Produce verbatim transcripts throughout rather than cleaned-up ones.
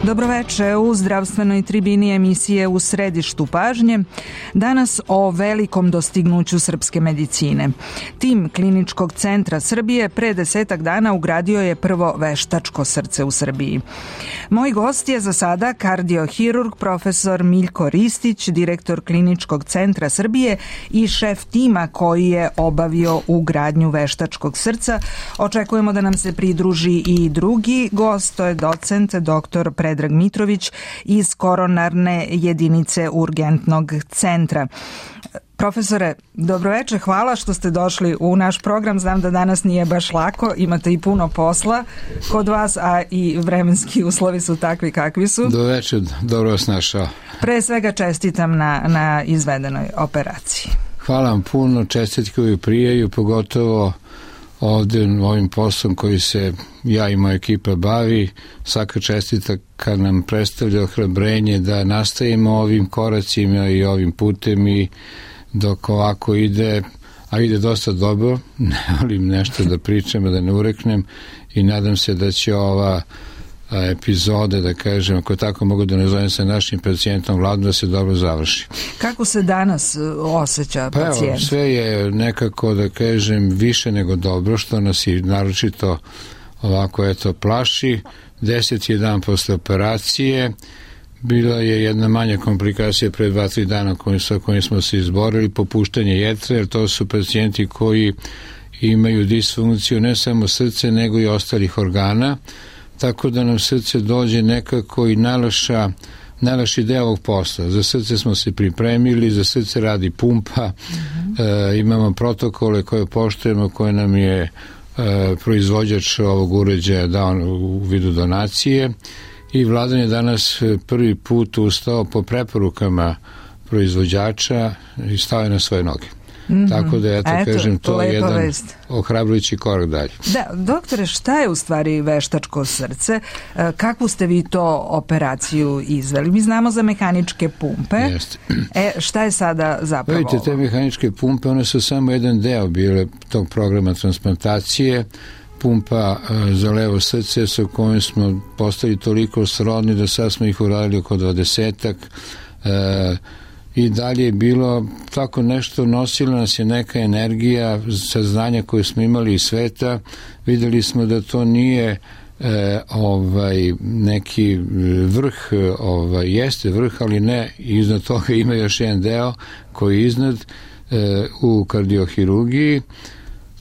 Dobroveče u zdravstvenoj tribini emisije U središtu pažnje. Danas o velikom dostignuću srpske medicine. Tim Kliničkog centra Srbije pre desetak dana ugradio je prvo veštačko srce u Srbiji. Moj gost je za sada kardiohirurg profesor Miljko Ristić, direktor Kliničkog centra Srbije i šef tima koji je obavio ugradnju veštačkog srca. Očekujemo da nam se pridruži i drugi gost, to je docent doktor Predrag Mitrović iz koronarne jedinice urgentnog centra. Profesore, dobroveče, hvala što ste došli u naš program. Znam da danas nije baš lako, imate i puno posla kod vas, a i vremenski uslovi su takvi kakvi su. Dobroveče, dobro vas našao. Pre svega čestitam na, na izvedenoj operaciji. Hvala vam puno, čestitke uvijek prijaju, pogotovo ovdje ovim poslom koji se ja i moja ekipa bavi. Svaka čestita kad nam predstavlja ohrabrenje da nastavimo ovim koracima i ovim putem, i dok ovako ide, a ide dosta dobro, ne volim nešto da pričam, da ne ureknem, i nadam se da će ova epizode, da kažem, ako tako mogu da nazovem sa našim pacijentom Vladom, da se dobro završi. Kako se danas osjeća pa pacijent? Evo, sve je nekako, da kažem, više nego dobro, što nas i naročito ovako eto plaši. Deset je dan posle operacije, bila je jedna manja komplikacija pre dva, tri dana sa kojim smo se izborili, popuštanje jetre, jer to su pacijenti koji imaju disfunkciju ne samo srce, nego i ostalih organa, tako da nam srce dođe nekako i najlaša, najlaši deo ovog posla. Za srce smo se pripremili, za srce radi pumpa, mm-hmm. e, imamo protokole koje poštujemo, koje nam je e, proizvođač ovog uređaja dao u vidu donacije, i Vladan je danas prvi put ustao po preporukama proizvođača i stao je na svoje noge. Mm-hmm. Tako da, eto, eto kažem, to je jedan vest. Ohrabrujući korak dalje. Da, doktore, šta je u stvari veštačko srce? Kakvu ste vi to operaciju izveli? Mi znamo za mehaničke pumpe. Jeste. E, šta je sada zapravo? Vidite, te mehaničke pumpe, one su samo jedan deo bile tog programa transplantacije. Pumpa e, za levo srce sa kojim smo postali toliko srodni da sad smo ih uradili oko dvadesetak. E, I dalje je bilo tako nešto, nosila nas je neka energija, saznanja koje smo imali iz sveta. Videli smo da to nije e, ovaj neki vrh, ovaj, jeste vrh, ali ne, iznad toga ima još jedan deo koji je iznad e, u kardiohirurgiji.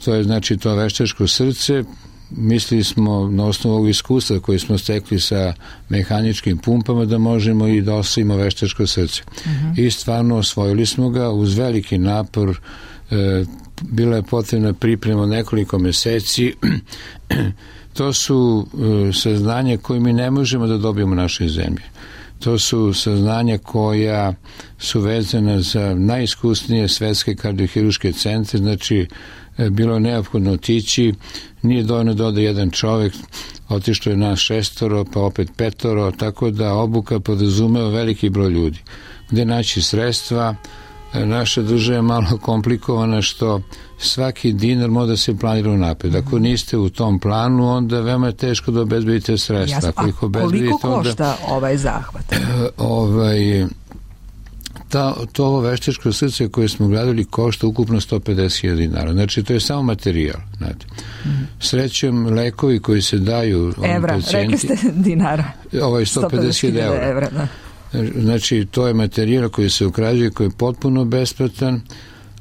To je znači to veštačko srce. Mislili smo na osnovu ovog iskustva koje smo stekli sa mehaničkim pumpama da možemo i da ostavimo veštačko srce. Uh-huh. I stvarno osvojili smo ga uz veliki napor. E, bila je potrebna priprema nekoliko meseci. To su e, saznanja koje mi ne možemo da dobijemo u našoj zemlji. To su saznanja koja su vezana za najiskusnije svetske kardiohirurške centre, znači bilo je neophodno otići, nije dovoljno da ode jedan čovjek, otišlo je nas šestoro, pa opet petoro, tako da obuka podrazumeva veliki broj ljudi. Gde naći sredstva? Naša država je malo komplikovana što svaki dinar mora da se planira unapred. Ako niste u tom planu, onda veoma je teško da obezbedite sredstva. Jasno. A koliko košta onda, ovaj zahvat? Ovaj... Ta, to ovo veštačko srce koje smo gradili košta ukupno sto pedeset hiljada dinara. Znači, to je samo materijal. Znate. Mm. Srećem, lekovi koji se daju evra, pacijenti, rekli ste dinara. Ovo je sto pedeset hiljada evra. Da. Znači, to je materijal koji se ukrađuje, koji je potpuno besplatan,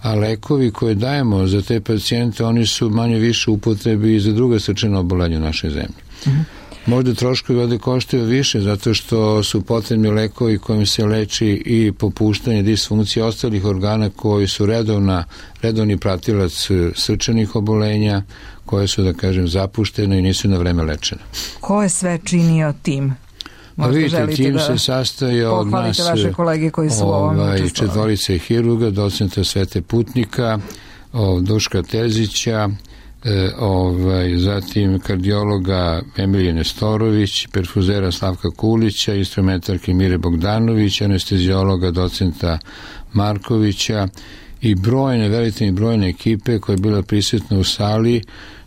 a lekovi koje dajemo za te pacijente, oni su manje više upotrebi i za druga srčana oboljenja u našoj zemlji. Mm. Možda troškovi ovdje koštaju više zato što su potrebni lekovi kojim se leči i popuštanje disfunkcije ostalih organa koji su redovna, redovni pratilac srčanih obolenja, koje su, da kažem, zapuštene i nisu na vreme lečene. Ko je sve činio tim? A vidite, tim da se sastoji od nas vaše kolege koji su ovaj, četvorice hirurga, docenta Svete Putnika, Duška Terzića, E, ovaj, zatim kardiologa Emilije Nestorović, perfuzera Slavka Kulića, instrumentarke Mire Bogdanović, anestezijologa docenta Markovića i brojne, velike brojne ekipe koje je bila prisutna u sali,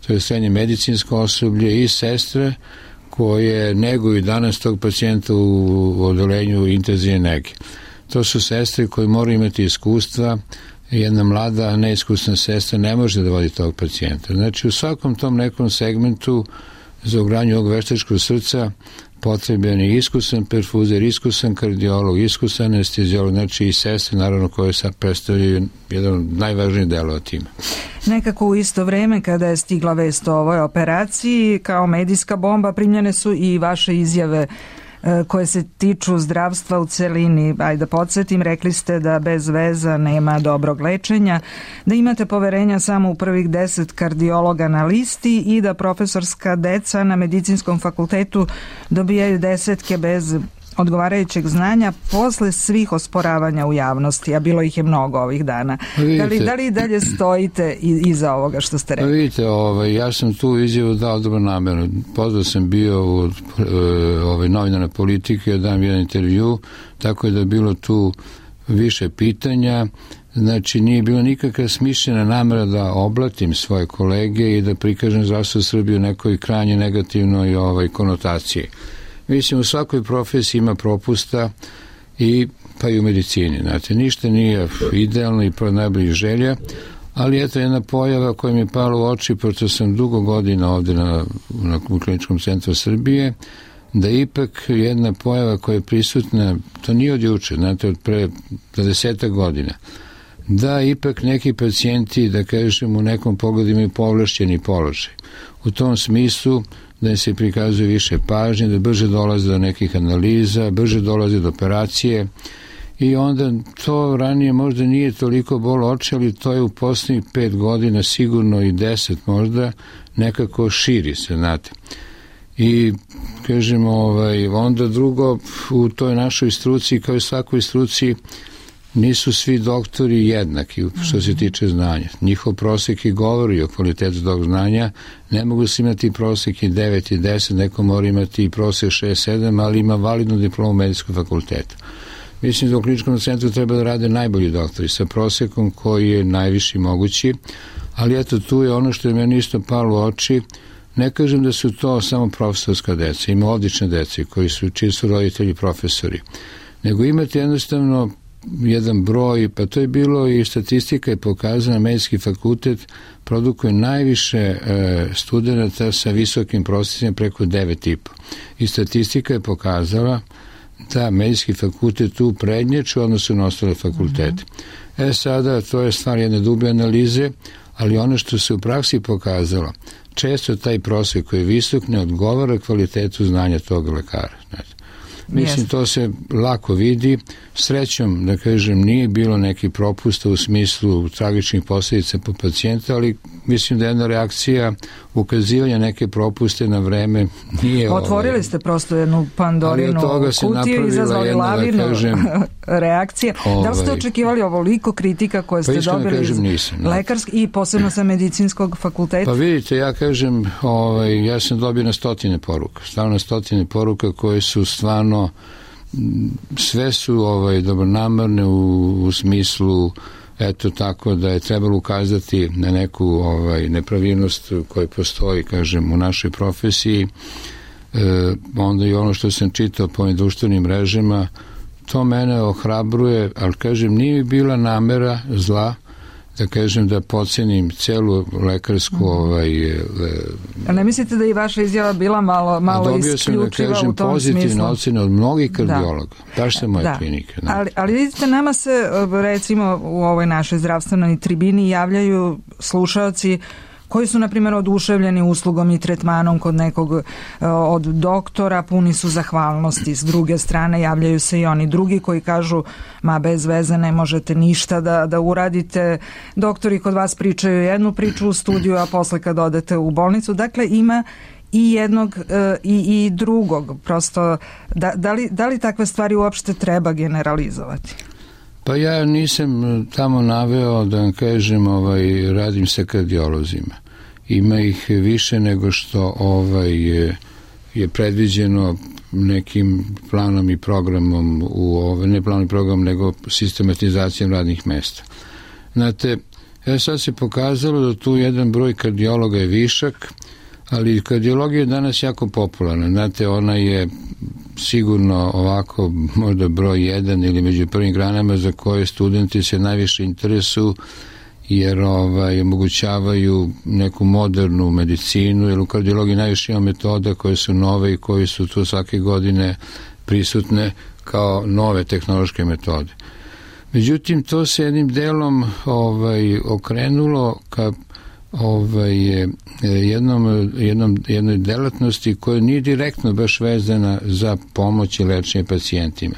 to je srednje medicinsko osoblje i sestre koje neguju danas tog pacijenta u odelenju intenzivne nege. To su sestre koje moraju imati iskustva. Jedna mlada, neiskusna sestra ne može da vodi tog pacijenta. Znači, u svakom tom nekom segmentu za ugradnju ovog veštačkog srca potreban je iskusan perfuzer, iskusan kardiolog, iskusan anestezijolog, znači i sestre, naravno, koje sad predstavljaju jedan od najvažnijih delova tima. Nekako u isto vreme kada je stigla vest o ovoj operaciji, kao medijska bomba, primljene su i vaše izjave koje se tiču zdravstva u celini. Ajde da podsjetim, rekli ste da bez veza nema dobrog lečenja, da imate poverenja samo u prvih deset kardiologa na listi i da profesorska deca na medicinskom fakultetu dobijaju desetke bez odgovarajućeg znanja posle svih osporavanja u javnosti, a bilo ih je mnogo ovih dana. Vidite, da li, da li dalje stojite iza ovoga što ste rekli? Vidite, ovaj, ja sam tu izjavu dao dobro namerno. Pozvao sam bio u ovaj, novinarne politike, da dam jedan intervju, tako je da je bilo tu više pitanja. Znači, nije bilo nikakva smišljena namera da oblatim svoje kolege i da prikažem zdravstvo Srbije u nekoj krajnje negativnoj ovaj, konotaciji. Mislim, u svakoj profesiji ima propusta, i pa i u medicini. Znate, ništa nije idealno i pro najboljih želja, ali eto jedna pojava koja mi je pala u oči, pošto sam dugo godina ovde na, na Kliničkom centru Srbije, da ipak jedna pojava koja je prisutna, to nije od juče, znate, od pre dvadesetak godina, da ipak neki pacijenti, da kažem, u nekom pogledu imaju povlašćeni položaj. U tom smislu da se prikazuje više pažnje, da brže dolaze do nekih analiza, brže dolaze do operacije, i onda to ranije možda nije toliko bolo oči, ali to je u poslednjih pet godina, sigurno i deset možda, nekako širi se, znate. I, kažemo, ovaj, onda drugo, u toj našoj struci, kao i svakoj struci, nisu svi doktori jednaki što se tiče znanja. Njihov prosek i govori o kvalitetu tog znanja. Ne mogu se imati prosek i devet i deset, neko mora imati i prosek šest sedam, ali ima validnu diplomu medijskog fakulteta. Mislim da u kliničkom centru treba da rade najbolji doktori sa prosekom koji je najviši mogući, ali eto, tu je ono što je meni isto palo u oči. Ne kažem da su to samo profesorska deca, ima odlične dece koji su, čiji su roditelji profesori, nego imate jednostavno jedan broj, pa to je bilo i statistika je pokazana, medijski fakultet produkuje najviše e, studenta sa visokim prosjecima preko devet i po. I statistika je pokazala da medijski fakultet tu prednjači u odnosu na ostale fakultete. Mm-hmm. E sada, to je stvar jedne dublje analize, ali ono što se u praksi pokazalo, često taj prosjek koji je visok ne odgovara kvalitetu znanja tog lekara. Znači, mislim, to se lako vidi. Srećom, da kažem, nije bilo neki propusta u smislu tragičnih posljedica po pacijenta, ali mislim da jedna reakcija ukazivanja neke propuste na vreme nije... Otvorili ovaj, ste prosto jednu Pandorinu kutiju i izazvali lavinu da kažem, reakcije. Ovaj, da li ste očekivali ovoliko kritika koje ste pa dobili kažem, iz nisam, lekarskog i posebno sa medicinskog fakulteta? Pa vidite, ja kažem, ovaj, ja sam dobio na stotine poruka, stavno na stotine poruka koje su stvarno sve su ovaj, dobronamarne u, u smislu eto tako da je trebalo ukazati na neku ovaj, nepravilnost koja postoji, kažem, u našoj profesiji. E, onda i ono što sam čitao po društvenim mrežama, to mene ohrabruje, ali kažem, nije bila namera zla, da kažem, da podcenim celu lekarsku ovaj... A ne mislite da i vaša izjava bila malo, malo isključiva u tom smislu? Dobio sam, da kažem, pozitivne ocene od mnogih kardiologa. Da. Baš se moje da. klinike. Da. Ali, ali vidite, nama se, recimo, u ovoj našoj zdravstvenoj tribini javljaju slušaoci koji su, na primjer, oduševljeni uslugom i tretmanom kod nekog od doktora, puni su zahvalnosti. S druge strane, javljaju se i oni drugi koji kažu, ma bez veze ne možete ništa da, da uradite. Doktori kod vas pričaju jednu priču u studiju, a posle kad odete u bolnicu. Dakle, ima i jednog i, i drugog. Prosto, da, da, li, da li takve stvari uopšte treba generalizovati? Pa ja nisam tamo naveo, da vam kažem, ovaj, radim sa kardiolozima. Ima ih više nego što ovaj, je, je predviđeno nekim planom i programom, u, ovaj, ne planom i programom, nego sistematizacijom radnih mesta. Znate, ja sad se pokazalo da tu jedan broj kardiologa je višak, ali kardiologija je danas jako popularna. Znate, ona je sigurno ovako možda broj jedan ili među prvim granama za koje studenti se najviše interesuju, jer ovaj, omogućavaju neku modernu medicinu, jer u kardiologiji najviše ima metoda koje su nove i koje su tu svake godine prisutne kao nove tehnološke metode. Međutim, to se jednim delom ovaj, okrenulo ka ovaj, jednom, jednom, jednoj delatnosti koja nije direktno baš vezana za pomoć i lečenje pacijentima.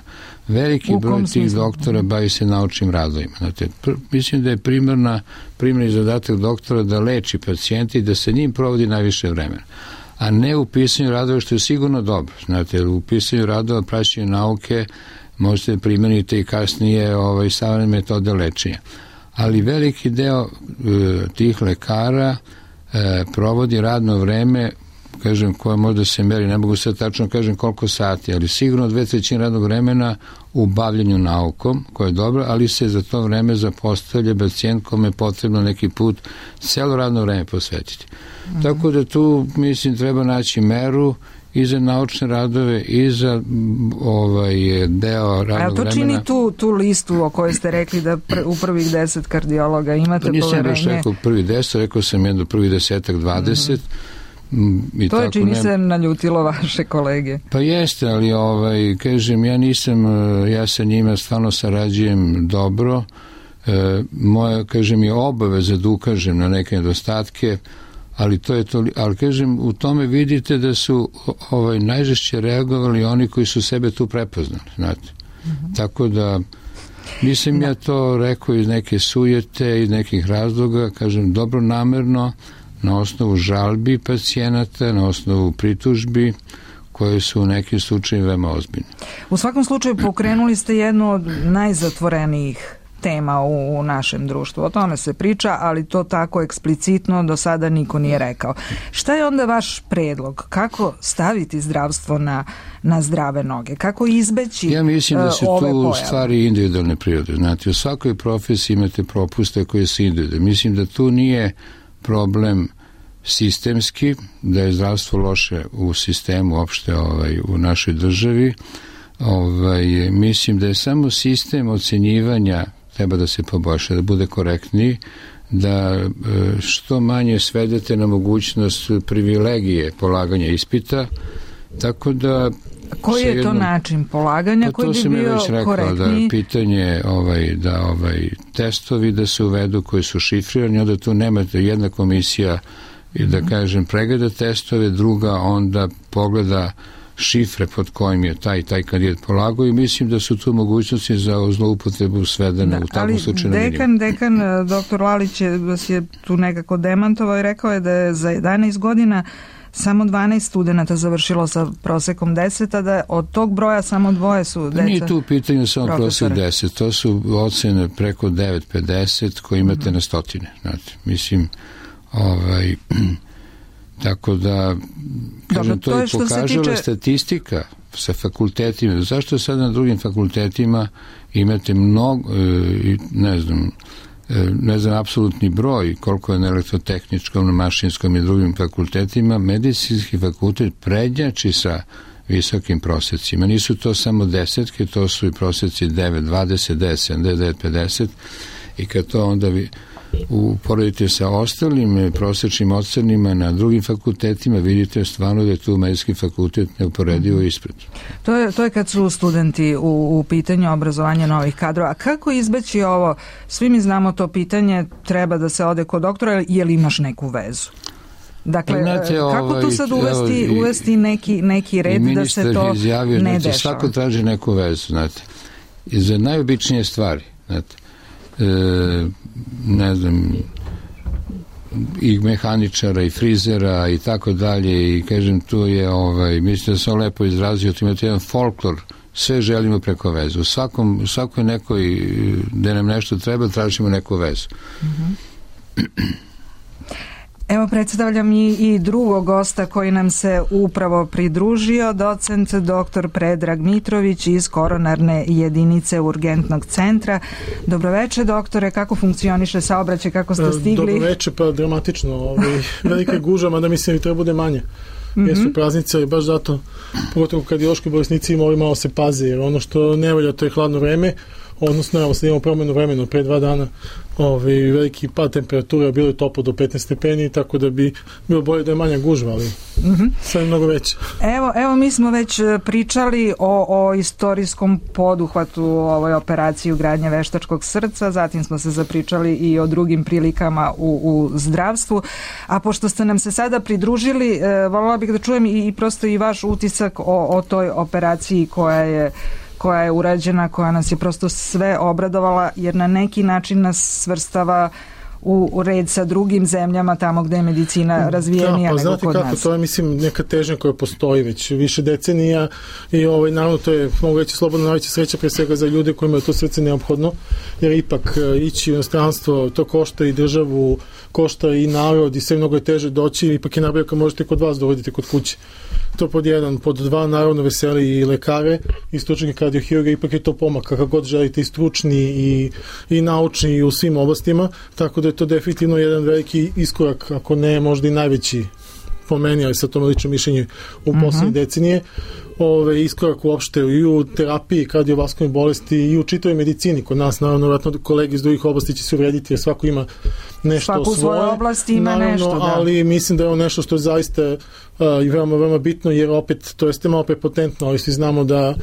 Veliki broj tih doktora bavi se naučnim radovima. Znate, pr- mislim da je primarna, primarni zadatak doktora da leči pacijente i da se njim provodi najviše vremena, a ne u pisanju radova, što je sigurno dobro. Znate, u pisanju radova, praćenju nauke možete primeniti i kasnije ovaj, savremene metode lečenja. Ali veliki deo e, tih lekara e, provodi radno vreme, kažem, koje možda se meri, ne mogu sad tačno kažem koliko sati, ali sigurno dve trećine radnog vremena u bavljenju naukom, koje je dobro, ali se za to vreme zapostavlja pacijent kome je potrebno neki put celo radno vreme posvetiti. Mm-hmm. Tako da tu, mislim, treba naći meru i za naučne radove i za ovaj deo radnog vremena. A to čini tu, tu listu o kojoj ste rekli da pr, u prvih deset kardiologa imate pa nisam poverenje? Nisam baš rekao prvi deset, rekao sam jedno prvih desetak, dvadeset. Mm-hmm. I to je čini ne... se naljutilo vaše kolege. Pa jeste, ali ovaj, kažem, ja nisam, ja sa njima stvarno sarađujem dobro. E, moja, kažem, je obaveza da ukažem na neke nedostatke, ali to je to, ali kažem, u tome vidite da su ovaj, najžešće reagovali oni koji su sebe tu prepoznali, znate. Mm-hmm. Tako da nisam da. ja to rekao iz neke sujete, iz nekih razloga, kažem, dobro namerno, na osnovu žalbi pacijenata, na osnovu pritužbi koje su u nekim slučajima veoma ozbiljne. U svakom slučaju pokrenuli ste jednu od najzatvorenijih tema u, u našem društvu. O tome se priča, ali to tako eksplicitno do sada niko nije rekao. Šta je onda vaš predlog? Kako staviti zdravstvo na, na zdrave noge? Kako izbeći ove pojave? Ja mislim da su tu pojave? Stvari individualne prirode. Znate, u svakoj profesiji imate propuste koje su individualne. Mislim da tu nije problem sistemski, da je zdravstvo loše u sistemu opšte ovaj, u našoj državi. Ovaj, mislim da je samo sistem ocenjivanja treba da se poboljša, da bude korektniji, da što manje svedete na mogućnost privilegije polaganja ispita, tako da... Koji je to način polaganja pa koji bi bio korektniji? To sam je već rekao, da pitanje, ovaj, da ovaj, testovi da se uvedu koji su šifrirani, onda tu nemate jedna komisija i da kažem pregleda testove, druga onda pogleda šifre pod kojim je taj taj kandidat polagao i mislim da su tu mogućnosti za zloupotrebu svedene da, u takvom slučaju. Ali dekan, dekan, doktor Lalić je, vas je tu nekako demantovao i rekao je da je za jedanaest godina samo dvanaest studenata završilo sa prosekom deset, a da od tog broja samo dvoje su deca. Nije tu u pitanju samo prosek deset, to su ocene preko devet pedeset koje imate mm-hmm. na stotine. Znate, mislim, ovaj... Tako da, kažem, to, to je pokazala tiče... statistika sa fakultetima. Zašto sad na drugim fakultetima imate mnogo, ne znam, ne znam, apsolutni broj koliko je na elektrotehničkom, na mašinskom i drugim fakultetima, medicinski fakultet prednjači sa visokim prosecima. Nisu to samo desetke, to su i proseci devet, dvadeset, deset, sedamdeset, devet, pedeset i kad to onda vi uporedite sa ostalim prosečnim ocenima na drugim fakultetima, vidite stvarno da je tu medicinski fakultet neuporedivo ispred. To je, to je kad su studenti u, u pitanju obrazovanja novih kadrova. A kako izbeći ovo? Svi mi znamo to pitanje, treba da se ode kod doktora, je li imaš neku vezu? Dakle, znate, kako ovaj, tu sad uvesti, evo, uvesti neki, neki red da se to izjavio, ne znate, dešava? Svako traži neku vezu, znate. I za najobičnije stvari, znate, e, ne znam, i mehaničara i frizera i tako dalje i kažem tu je ovaj, mislim da sam lepo izrazio, tu imate jedan folklor, sve želimo preko vezu, u svakom, u svakoj nekoj gde nam nešto treba tražimo neku vezu. Mm-hmm. Evo predstavljam i, i drugog gosta koji nam se upravo pridružio, docent doktor Predrag Mitrović iz koronarne jedinice urgentnog centra. Dobroveče doktore, kako funkcioniše saobraćaj, kako ste stigli? Dobroveče, pa dramatično, ovaj, velike gužva, mada mislim da treba bude manje. Mm-hmm. Jesu praznice, ali baš zato, pogotovo kardiološki bolesnici moraju malo se paze, jer ono što ne volja to je hladno vreme, odnosno evo sad imamo promenu vremena pre dva dana, ovaj, veliki pad temperatura, bilo je toplo do petnaest stepeni, tako da bi bilo bolje da je manja gužva, ali mm-hmm. sad je mnogo veća. Evo, evo mi smo već pričali o, o istorijskom poduhvatu u ovoj operaciji ugradnje veštačkog srca, zatim smo se zapričali i o drugim prilikama u, u zdravstvu, a pošto ste nam se sada pridružili, e, voljela bih da čujem i, i prosto i vaš utisak o, o toj operaciji koja je koja je urađena, koja nas je prosto sve obradovala, jer na neki način nas svrstava u, u red sa drugim zemljama tamo gde je medicina razvijenija da, pa nego kod kako, nas. To je, mislim, neka težnja koja postoji već više decenija i ovaj, naravno to je, mogu reći, slobodno najveća sreća pre svega za ljude kojima je to srce neophodno, jer ipak ići u inostranstvo, to košta i državu, košta i narod i sve mnogo je teže doći, ipak je najbolje kad možete kod vas dovoditi kod kuće. To pod jedan, pod dva naravno veseli i lekare i stručnike kardiohirurga, ipak je to pomak kako god želite i stručni i, i naučni i u svim oblastima, tako da je to definitivno jedan veliki iskorak, ako ne možda i najveći po meni, ali sa tom lično mišljenju u poslednje uh-huh. decenije, ove, iskorak uopšte i u terapiji kardiovaskularnih bolesti i u čitavoj medicini. Kod nas, naravno, vratno kolege iz drugih oblasti će se uvrediti, jer svako ima nešto Svaku svoje. Svaku svoje oblasti ima naravno, nešto, da. Ali mislim da je ovo nešto što je zaista uh, i veoma, veoma bitno, jer opet, to jeste malo prepotentno, ali svi znamo da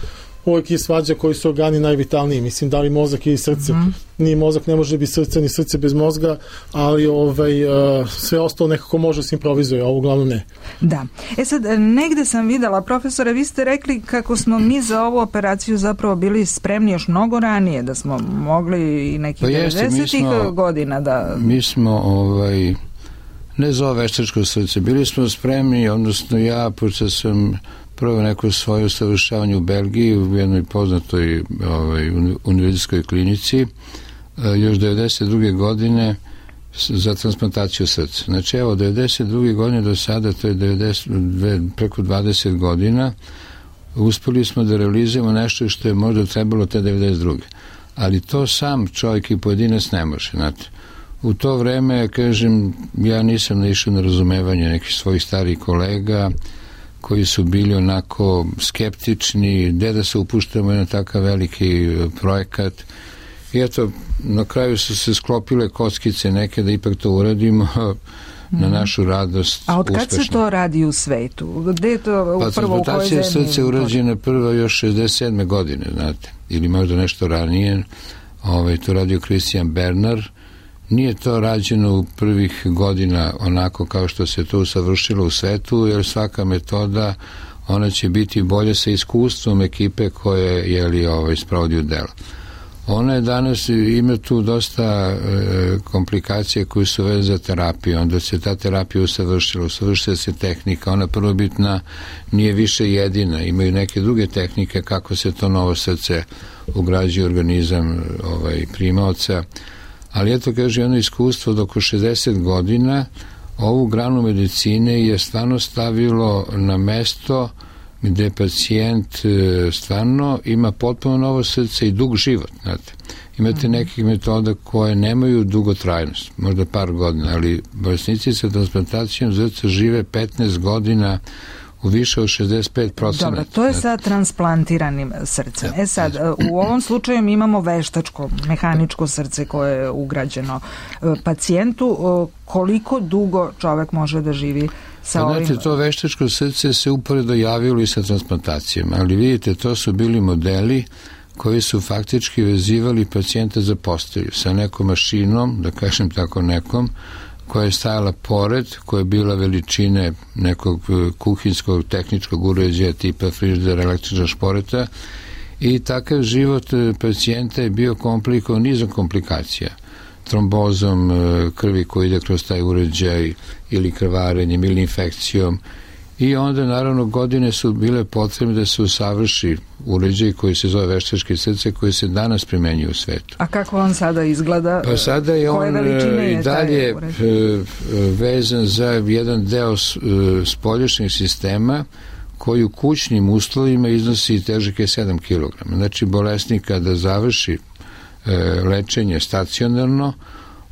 uvijek je svađa koji su organi najvitalniji, mislim, da li mozak ili srce. Mm-hmm. Ni mozak ne može biti srce, ni srce bez mozga, ali ovaj, uh, sve ostalo nekako može se improvizuje, a ovo uglavnom ne. Da. E sad, negde sam videla, profesore, vi ste rekli kako smo mi za ovu operaciju zapravo bili spremni još mnogo ranije, da smo mogli i nekih pa devedesetih godina da... Mi smo, ovaj, ne za ovo veštačko srce, bili smo spremni, odnosno ja, pošto sam prvo neko svoje usavršavanje u Belgiji u jednoj poznatoj ovaj, univerzitetskoj klinici još devedeset druge godine za transplantaciju srca. Znači evo, devedeset druge godine do sada, to je devedeset, preko dvadeset godina, uspeli smo da realizujemo nešto što je možda trebalo te devedeset druge. Ali to sam čovjek i pojedinac ne može, znate. U to vreme, kažem, ja nisam naišao na razumevanje nekih svojih starih kolega koji su bili onako skeptični, gde da se upuštamo na takav veliki projekat. I eto, na kraju su se sklopile kockice neke da ipak to uradimo mm. na našu radost. A od kad uspešno. Se to radi u svetu? Gde je to pa, prvo u kojoj zemlji? Transplantacija srca je urađena prvo još šezdeset sedme godine, znate, ili možda nešto ranije. Ovaj, to radio Christian Bernard. Nije to rađeno u prvih godina onako kao što se to usavršilo u svetu, jer svaka metoda, ona će biti bolje sa iskustvom ekipe koje je li ovaj, sprovodi u delo. Ona je danas, ima tu dosta e, komplikacije koje su vezane za terapiju, onda se ta terapija usavršila, usavršila se tehnika, ona prvobitna nije više jedina, imaju neke druge tehnike kako se to novo srce ugrađuje u organizam ovaj, primaoca. Ali eto, kaže, jedno iskustvo od oko šezdeset godina ovu granu medicine je stvarno stavilo na mesto gde pacijent stvarno ima potpuno novo srce i dug život, znate. Imate nekih metoda koje nemaju dugotrajnost, možda par godina, ali bolesnici sa transplantacijom srca žive petnaest godina u više od šezdeset pet procenta. Dobro, to je sa transplantiranim srcem. E sad, u ovom slučaju mi imamo veštačko, mehaničko srce koje je ugrađeno pacijentu. Koliko dugo čovek može da živi sa ovim? Znate, to veštačko srce se uporedo javilo i sa transplantacijama, ali vidite, to su bili modeli koji su faktički vezivali pacijenta za postelju sa nekom mašinom, da kažem tako nekom, koja je stajala pored, koja je bila veličine nekog kuhinskog tehničkog uređaja tipa frižidera, električna šporeta, i takav život pacijenta je bio komplikovan nizom komplikacija. Trombozom krvi koji ide kroz taj uređaj ili krvarenjem ili infekcijom. i onda naravno godine su bile potrebne da se usavrši uređaj koji se zove veštačke srce, koji se danas primenjuje u svetu. A kako on sada izgleda? Pa sada je on i dalje vezan za jedan deo spoljašnjeg sistema koji u kućnim uslovima iznosi težak je sedam kilograma. Znači bolesnik kada završi lečenje stacionarno,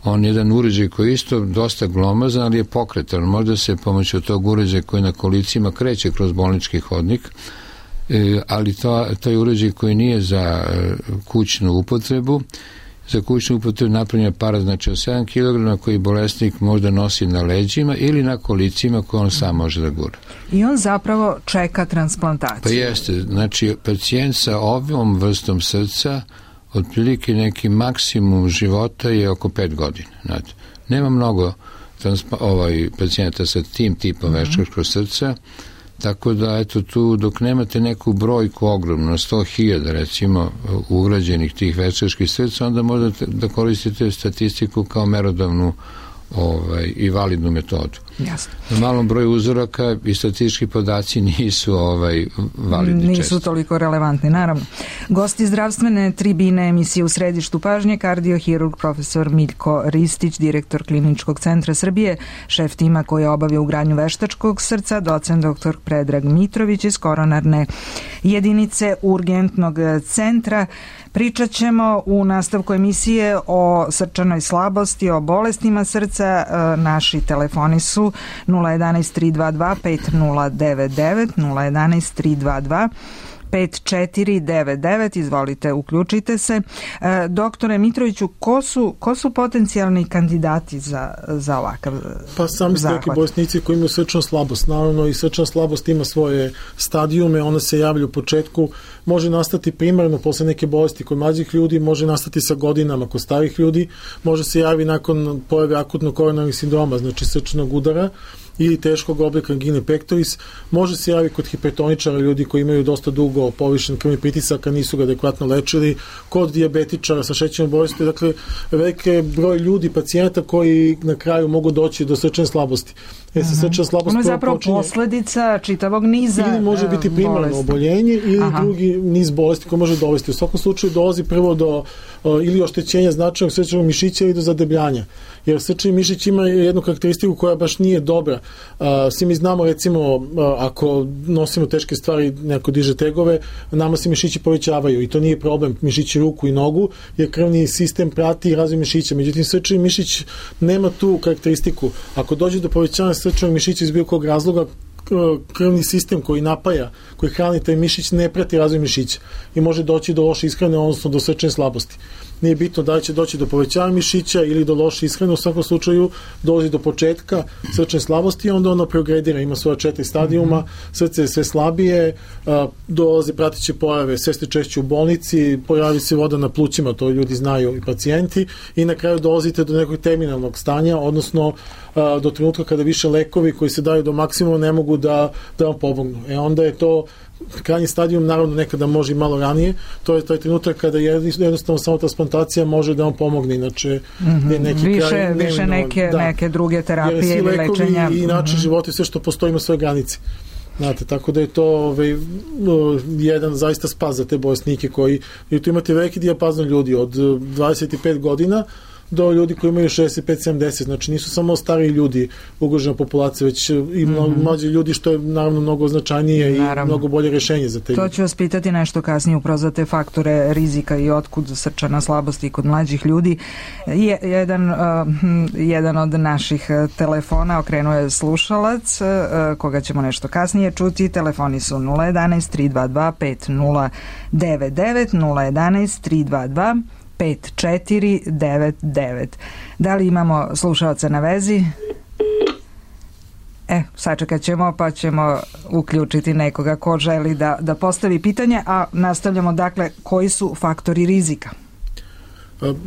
on je jedan uređaj koji je isto dosta glomazan, ali je pokretan. Možda se pomoću tog uređaja koji na kolicima kreće kroz bolnički hodnik, ali to, to je uređaj koji nije za kućnu upotrebu. Za kućnu upotrebu napravljen aparat, znači od sedam kilograma koji bolesnik možda nosi na leđima ili na kolicima koje on sam može da gura. I on zapravo čeka transplantaciju. Pa jeste, znači pacijent sa ovom vrstom srca otprilike neki maksimum života je oko pet godina. Znate. Nema mnogo transpa, ovaj, pacijenta sa tim tipom mm-hmm. veštačkog srca, tako da eto tu dok nemate neku brojku ogromno, sto hiljada recimo ugrađenih tih veštačkih srca, onda možete da koristite statistiku kao merodavnu ovaj, i validnu metodu. Jasno. Na malom broju uzoraka i statistički podaci nisu ovaj, validni nisu često. Toliko relevantni, naravno. Gosti zdravstvene tribine emisije U središtu pažnje, kardiohirurg profesor Miljko Ristić, direktor Kliničkog centra Srbije, šef tima koji obavlja ugradnju veštačkog srca, docent doktor Predrag Mitrović iz koronarne jedinice urgentnog centra. Pričat ćemo u nastavku emisije o srčanoj slabosti, o bolestima srca. Naši telefoni su nula jedanaest tri dva dva pet nula devet devet, nula jedanaest tri dva dva pet četiri devet devet, izvolite, uključite se. E, doktore Mitroviću, ko su, ko su potencijalni kandidati za, za ovakav Pa sami ste neki bolesnici koji imaju srčanu slabost. Naravno i srčana slabost ima svoje stadijume, ona se javlja u početku, može nastati primarno posle neke bolesti kod mlađih ljudi, može nastati sa godinama kod starih ljudi, može se javi nakon pojave akutnog koronarnih sindroma, znači srčanog udara, ili teškog oblika angine pectoris, može se javi kod hipertoničara, ljudi koji imaju dosta dugo povišen krvni pritisak, a nisu ga adekvatno lečili, kod dijabetičara sa šećernom bolesti, dakle veliki broj ljudi, pacijenta koji na kraju mogu doći do srčane slabosti. E, sa srčana slabost ono je zapravo počinje posledica čitavog niza ili može biti primarno oboljenje ili Aha. drugi niz bolesti koji može dovesti. U svakom slučaju dolazi prvo do uh, ili oštećenja značajnog srčanog mišića ili do zadebljanja. Jer srčani mišić ima jednu karakteristiku koja baš nije dobra. Uh, svi mi znamo, recimo, uh, ako nosimo teške stvari, neko diže tegove, nama se mišići povećavaju i to nije problem, mišići ruku i nogu, jer krvni sistem prati razvoj mišića. Međutim, srčani mišić nema tu karakteristiku. Ako dođe do povećanja srčanog mišića iz bilo kog razloga, krvni sistem koji napaja, koji hrani taj mišić ne prati razvoj mišića i može doći do loše ishrane, odnosno do srčane slabosti. Nije bitno da li će doći do povećanja mišića ili do loše ishrane, u svakom slučaju dolazi do početka srčane slabosti i onda ono progredira, ima svoja četiri stadijuma, srce je sve slabije, dolaze pratiće pojave, sve ste češće u bolnici, pojavi se voda na plućima, to ljudi znaju i pacijenti, i na kraju dolazite do nekog terminalnog stanja, odnosno do trenutka kada više lekovi koji se daju do maksimuma ne mogu da, da vam pomognu. E onda je to krajnji stadijum, naravno nekada može i malo ranije, to je taj trenutak kada jednostavno samo transplantacija može da vam pomogne, inače mm-hmm. je neki više, kraj više neke, da. neke druge terapije ili lečenja. I način mm-hmm. života i sve što postoji ima svoje granice. Znate, tako da je to ovaj, jedan zaista spas za te bolesnike koji, i tu imate veliki dijapazon ljudi od dvadeset pet godina do ljudi koji imaju šezdeset pet sedamdeset, znači nisu samo stari ljudi ugrožena populacija, već i mm-hmm. mlađi ljudi, što je naravno mnogo značajnije naravno. I mnogo bolje rešenje za te ljudi. To ću vas pitati nešto kasnije upravo za te faktore rizika i otkud srčana slabosti kod mlađih ljudi. Je, jedan, uh, jedan od naših telefona okrenuo je slušalac, uh, koga ćemo nešto kasnije čuti. Telefoni su nula jedanaest tri dva dva pet nula devet devet, nula jedanaest tri dva dva pet četiri devet devet. Da li imamo slušalca na vezi? E, sačekat ćemo pa ćemo uključiti nekoga ko želi da, da postavi pitanje, a nastavljamo dakle koji su faktori rizika.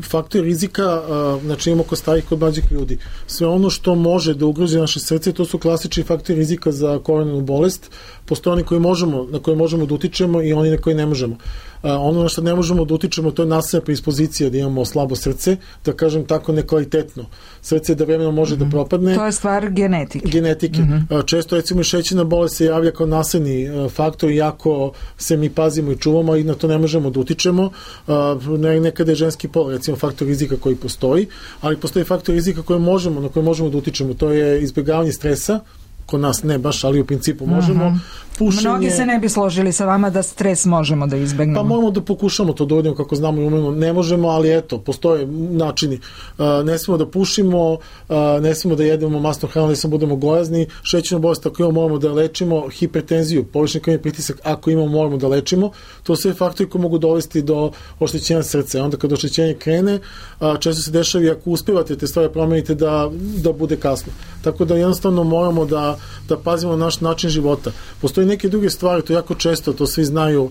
Faktori rizika, znači imamo kod starih, kod mlađih ljudi. Sve ono što može da ugrozi naše srce, to su klasični faktori rizika za koronarnu bolest. Postoje oni koji možemo, na koje možemo da utičemo i oni na koje ne možemo. ono na što ne možemo da utičemo, to je nasledna predispozicija da imamo slabo srce, da kažem tako nekvalitetno. Srce da vremenom može mm-hmm. da propadne. To je stvar genetike. Genetike. Mm-hmm. Često recimo šećerna bolest se javlja kao nasledni faktor, iako se mi pazimo i čuvamo i na to ne možemo da utičemo. Nekada je ženski pol recimo faktor rizika koji postoji, ali postoji faktor rizika koje možemo, na koje možemo da utičemo. To je izbjegavanje stresa, kod nas ne baš, ali u principu možemo. Mm-hmm. Pušenje... Mnogi se ne bi složili sa vama da stres možemo da izbegnemo. Pa moramo da pokušamo to da uradimo kako znamo i umemo. Ne možemo, ali eto, postoje načini. Ne smemo da pušimo, ne smemo da jedemo masnu hranu, ne smemo da budemo gojazni. Šećernu bolest ako imamo moramo da lečimo, hipertenziju, povišeni krvni pritisak ako imamo moramo da lečimo. To su sve faktori koji mogu dovesti do oštećenja srca. Onda kad oštećenje krene, često se dešava ako uspevate te stvari promenite da, da bude kasno. Tako da jednostavno moramo da, da pazimo na naš način života. Postoji neke druge stvari, to jako često, to svi znaju, uh,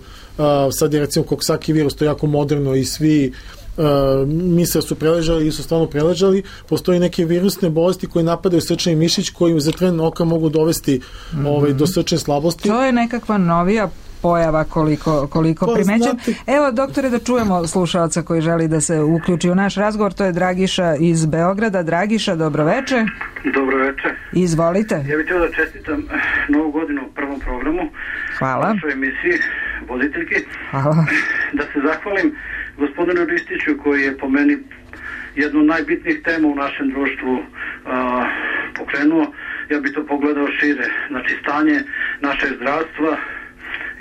sad je recimo Coxsackie virus, to je jako moderno i svi uh, misle su preležali i su stvarno preležali. Postoji neke virusne bolesti koje napadaju srčani mišić koji za tren oka mogu dovesti mm-hmm. ovaj, do srčane slabosti. To je nekakva novija pojava koliko, koliko pa, primećam. Znate... Evo, doktore, da čujemo slušalca koji želi da se uključi u naš razgovor, to je Dragiša iz Beograda. Dragiša, dobroveče. Dobroveče. Izvolite. Ja bih htio da čestitam novu godinu u prvom programu. Hvala. U svojoj emisiji voditeljki. Hvala. Da se zahvalim gospodinu Ristiću koji je po meni jednu od najbitnijih tema u našem društvu a, pokrenuo. Ja bih to pogledao šire. Znači, stanje našeg zdravstva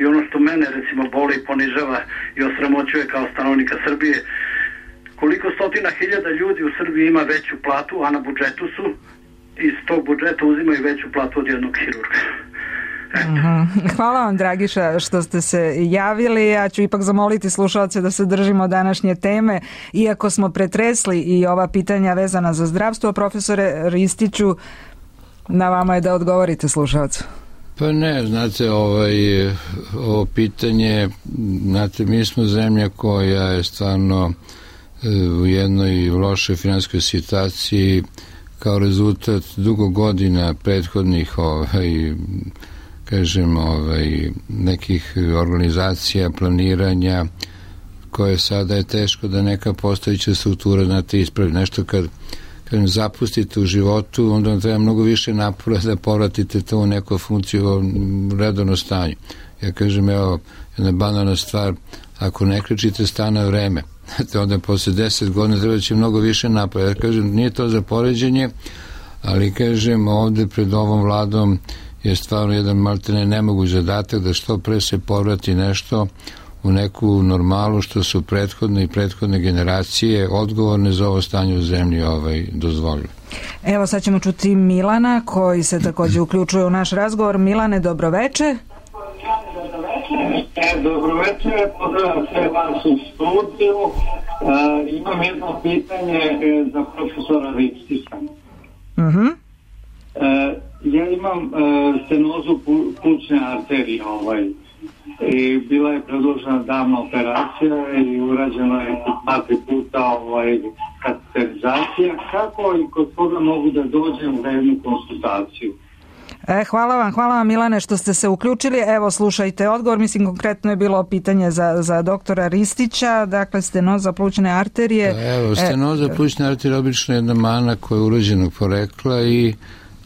i ono što mene recimo boli, ponižava i osramoćuje kao stanovnika Srbije, koliko stotina hiljada ljudi u Srbiji ima veću platu, a na budžetu su, iz tog budžeta uzimaju veću platu od jednog hirurga. Uh-huh. Hvala vam, Dragiša, što ste se javili. Ja ću ipak zamoliti slušalce da se držimo današnje teme, iako smo pretresli i ova pitanja vezana za zdravstvo. Profesore Ristiću, na vama je da odgovorite slušalcu. Pa ne, znate, ovaj, ovo pitanje, znate, mi smo zemlja koja je stvarno u jednoj lošoj finansijskoj situaciji kao rezultat dugo godina prethodnih ovaj, kažem, ovaj, nekih organizacija, planiranja, koje sada je teško da neka postojića struktura, znate, ispravi nešto kad kad zapustite u životu, onda vam treba mnogo više napora da povratite to u neku funkciju u redovno stanju. Ja kažem, evo, jedna banalna stvar, ako ne krećite stane vreme, onda posle deset godina treba će mnogo više napora. Ja kažem, nije to za poređenje, ali kažem, ovde pred ovom vladom je stvarno jedan maltene nemoguć zadatak da što pre se povrati nešto u neku normalu što su prethodne i prethodne generacije odgovorne za ovo stanje u zemlji ovaj, dozvolili. Evo sad ćemo čuti Milana koji se također uključuje u naš razgovor. Milane, dobroveče. E, dobroveče, pozdravljam sve vas u studiju. E, imam jedno pitanje e, za profesora Ristića. Uh-huh. E, ja imam e, stenozu plućne arterije, ovaj, i bila je predložena davna operacija i urađena je dva puta ovaj, kateterizacija. Kako i kod koga mogu da dođem za jednu konsultaciju? E, hvala vam, hvala vam Milane što ste se uključili. Evo, slušajte odgovor, mislim konkretno je bilo pitanje za, za doktora Ristića, dakle stenoza plućne arterije. Da, evo, stenoza e, plućne arterije obično je jedna mana koja je urođenog porekla i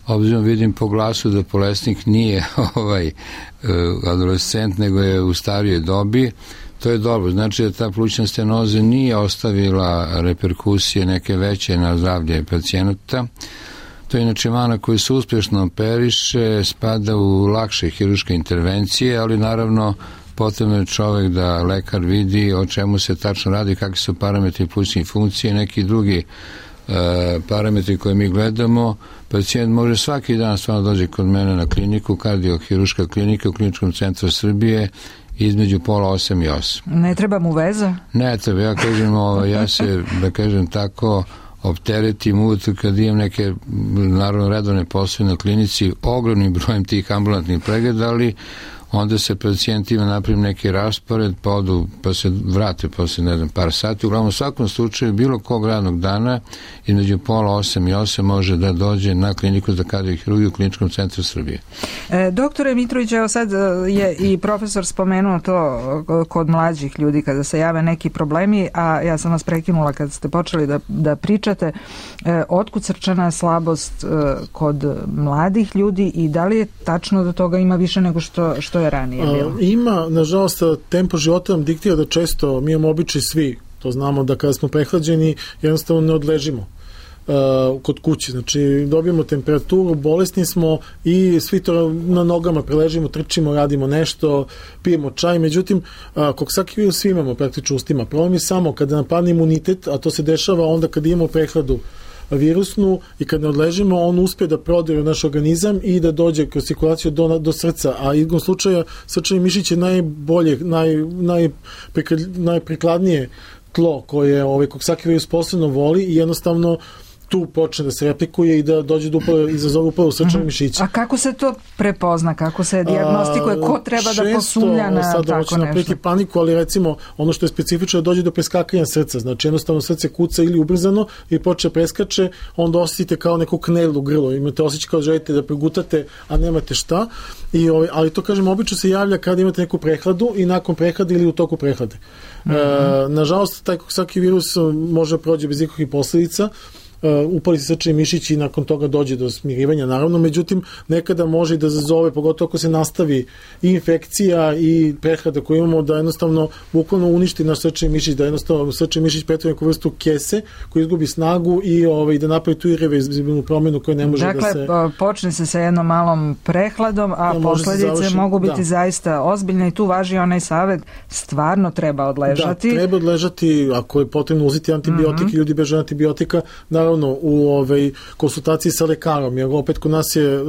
obzirom vidim po glasu da bolesnik nije ovaj adolescent, nego je u starijoj dobi, to je dobro. Znači da ta plućna stenoza nije ostavila reperkusije neke veće na zdravlje pacijenata. To je inače mana koja se uspješno operiše, spada u lakše hirurške intervencije, ali naravno potrebno je čovek da lekar vidi o čemu se tačno radi, kakvi su parametri plućnih funkcije, neki drugi parametri koje mi gledamo. Pacijent može svaki dan stvarno dođe kod mene na kliniku, kardiohirurška klinika u Kliničkom centru Srbije, između pola osam i osam. Ne treba mu veza? Ne treba, ja kažem, ovo, ja se, da kažem tako, opteretim uvijek kad imam neke, naravno, redovne poslove na klinici, ogromnim brojem tih ambulantnih pregleda, ali onda se pacijentima napravi neki raspored, pa odu, pa se vrate posle, ne znam, par sati. Uglavnom, u svakom slučaju, bilo kog radnog dana, između pola osam i osam može da dođe na kliniku za kardiokirurgiju u Kliničkom centru Srbije. E, doktore Mitrović, evo sad je i profesor spomenuo to kod mlađih ljudi kada se jave neki problemi, a ja sam vas prekinula kad ste počeli da, da pričate. E, otkud srčana slabost e, kod mladih ljudi i da li je tačno da toga ima više nego što, što je ranije bilo? A, ima, nažalost, tempo života nam diktira da često mi imamo običaj svi, to znamo da kada smo prehlađeni jednostavno ne odležimo uh, kod kuće, znači dobijemo temperaturu, bolesni smo i svi to na nogama preležimo, trčimo, radimo nešto, pijemo čaj, međutim uh, koksaki virus svi imamo praktično ustima, problem je samo kada napadne imunitet, a to se dešava onda kada imamo prehladu virusnu i kad ne odležimo, on uspe da prodire u naš organizam i da dođe kroz cirkulaciju do, do srca, a igrom slučaja srčani mišić je najbolje, naj, naj, najprikladnije tlo koje ovaj koksaki virus posebno voli i jednostavno tu počne da se replikuje i da dođe do upale, izazove upalu srčanog mišića. A kako se to prepozna? Kako se dijagnostikuje? Ko treba da posumlja na sad tako nešto? Napreti paniku, ali recimo ono što je specifično da dođe do preskakanja srca. Znači jednostavno srce kuca ili ubrzano i počne preskače, onda osjetite kao neku knel u grlo. Imate osjećaj kao želite da pregutate, a nemate šta. I, ali to, kažem, obično se javlja kada imate neku prehladu i nakon prehlade ili u toku prehlade. Mm-hmm. E, nažalost, taj koksaki virus može prođe bez ikakvih posledica. Uh, upali se srčani mišić i nakon toga dođe do smirivanja, naravno, međutim nekada može i da zazove, pogotovo ako se nastavi i infekcija i prehlada koju imamo, da jednostavno bukvalno uništi naš srčani mišić, da jednostavno srčani mišić pretvori neku vrstu kese koji izgubi snagu i ovaj, da napravi tu irreverzibilnu promenu koja ne može dakle, da se... Dakle, počne se sa jednom malom prehladom, a da, posledice mogu biti da. zaista ozbiljne i tu važi onaj savjet, stvarno treba odležati. Da, treba odležati, ako je potrebno uzeti antibiotike, mm-hmm. ljudi beže antibiotika, da u ovaj konsultaciji sa lekarom, jer opet kod nas je,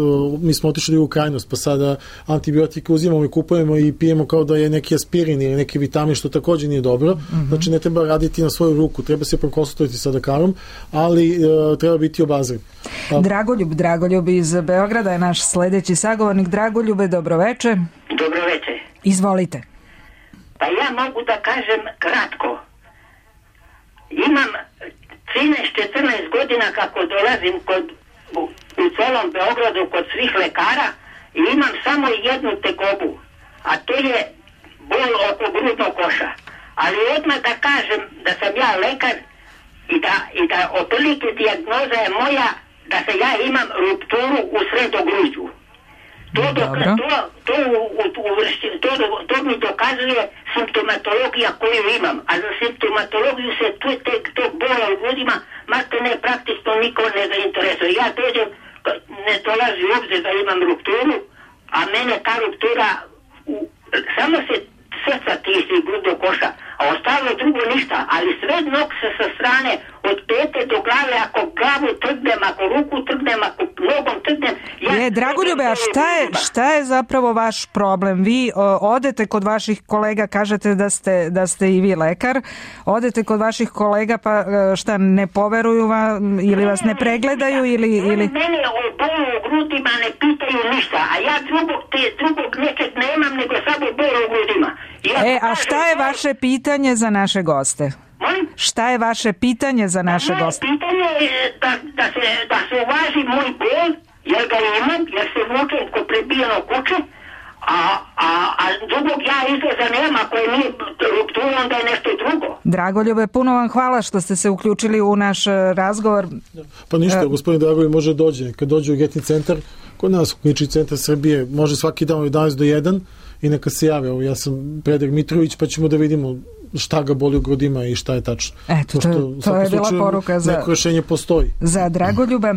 mi smo otišli u krajnost, pa sada antibiotike uzimamo i kupujemo i pijemo kao da je neki aspirin ili neki vitamin, što također nije dobro. Mm-hmm. Znači ne treba raditi na svoju ruku, treba se prokonsultovati sa lekarom, ali uh, treba biti obazriv. A... Dragoljub, Dragoljub iz Beograda je naš sledeći sagovornik. Dragoljube, dobroveče. Dobroveče. Izvolite. Pa ja mogu da kažem kratko. Imam trinaest četrnaest godina kako dolazim kod, u, u celom Beogradu kod svih lekara i imam samo jednu tegobu, a to je bol oko grudnog koša. Ali odmah da kažem da sam ja lekar i da, i da otprilike dijagnoza je moja da se ja imam rupturu u sredogruđu. To, do, to, to, u, u, to, to mi dokazuje simptomatologija koju imam, a za simptomatologiju se tu, te, to bola u ljudima malte ne praktično niko ne zainteresuje. Ja dođem, ne dolazi u obzir da imam rupturu, a mene ta ruptura u, samo se srca tiši grudnog koša, a ostalo drugo ništa, ali sve nog se sa strane od pete do glave, ako glavu trgnem, ako ruku trgnem, ako nogom trgnem. Ja je, Dragoljube, a šta je, šta je zapravo vaš problem? Vi o, odete kod vaših kolega, kažete da ste, da ste i vi lekar, odete kod vaših kolega pa šta, ne poveruju vam ili vas ne pregledaju ili... ili... Mene o bolu u grudima ne pitaju ništa, a ja drugog, te, drugog nekad nemam nego samo bolu u grudima. Ja e, a šta je vaše pitanje za naše goste? Molim? Šta je vaše pitanje za naše moje goste? Pitanje je da, da, se, da se uvaži moj bol, jer ga imam, jer se vučem ko prebijeno kuće, a, a, a drugog ja izlaza nema, ako je nije ruptura, onda je nešto drugo. Dragoljube, puno vam hvala što ste se uključili u naš razgovor. Pa ništa, gospodin Dragoljub može dođe, kad dođe u Getni centar, kod nas u Klinički centar Srbije, može svaki dan od jedanaest do jedan i neka se jave. Ja sam Predrag Mitrović, pa ćemo da vidimo šta ga boli u grudima i šta je tačno. Eto, to, to je bila poruka za... Neko rešenje postoji. Za Dragoljuba.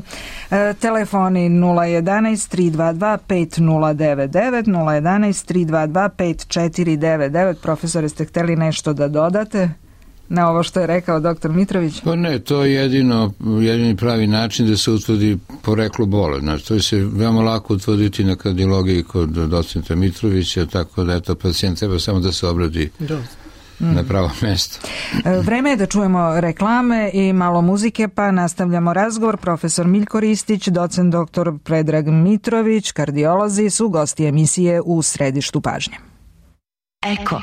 E, telefoni nula jedanaest tri dva dva pet nula devet devet, nula jedanaest tri dva dva pet četiri devet devet. Profesore, ste hteli nešto da dodate na ovo što je rekao doktor Mitrović? Pa ne, to je jedino, jedini pravi način da se utvrdi poreklo bole. Znači, to je se veoma lako utvrditi na kardiologiji kod docenta Mitrovića, tako da eto, pacijent treba samo da se obradi da. mm. na pravo mesto. Vreme je da čujemo reklame i malo muzike, pa nastavljamo razgovor. Profesor Miljko Ristić, docent doktor Predrag Mitrović, kardiolozi su gosti emisije U središtu pažnje. Eko.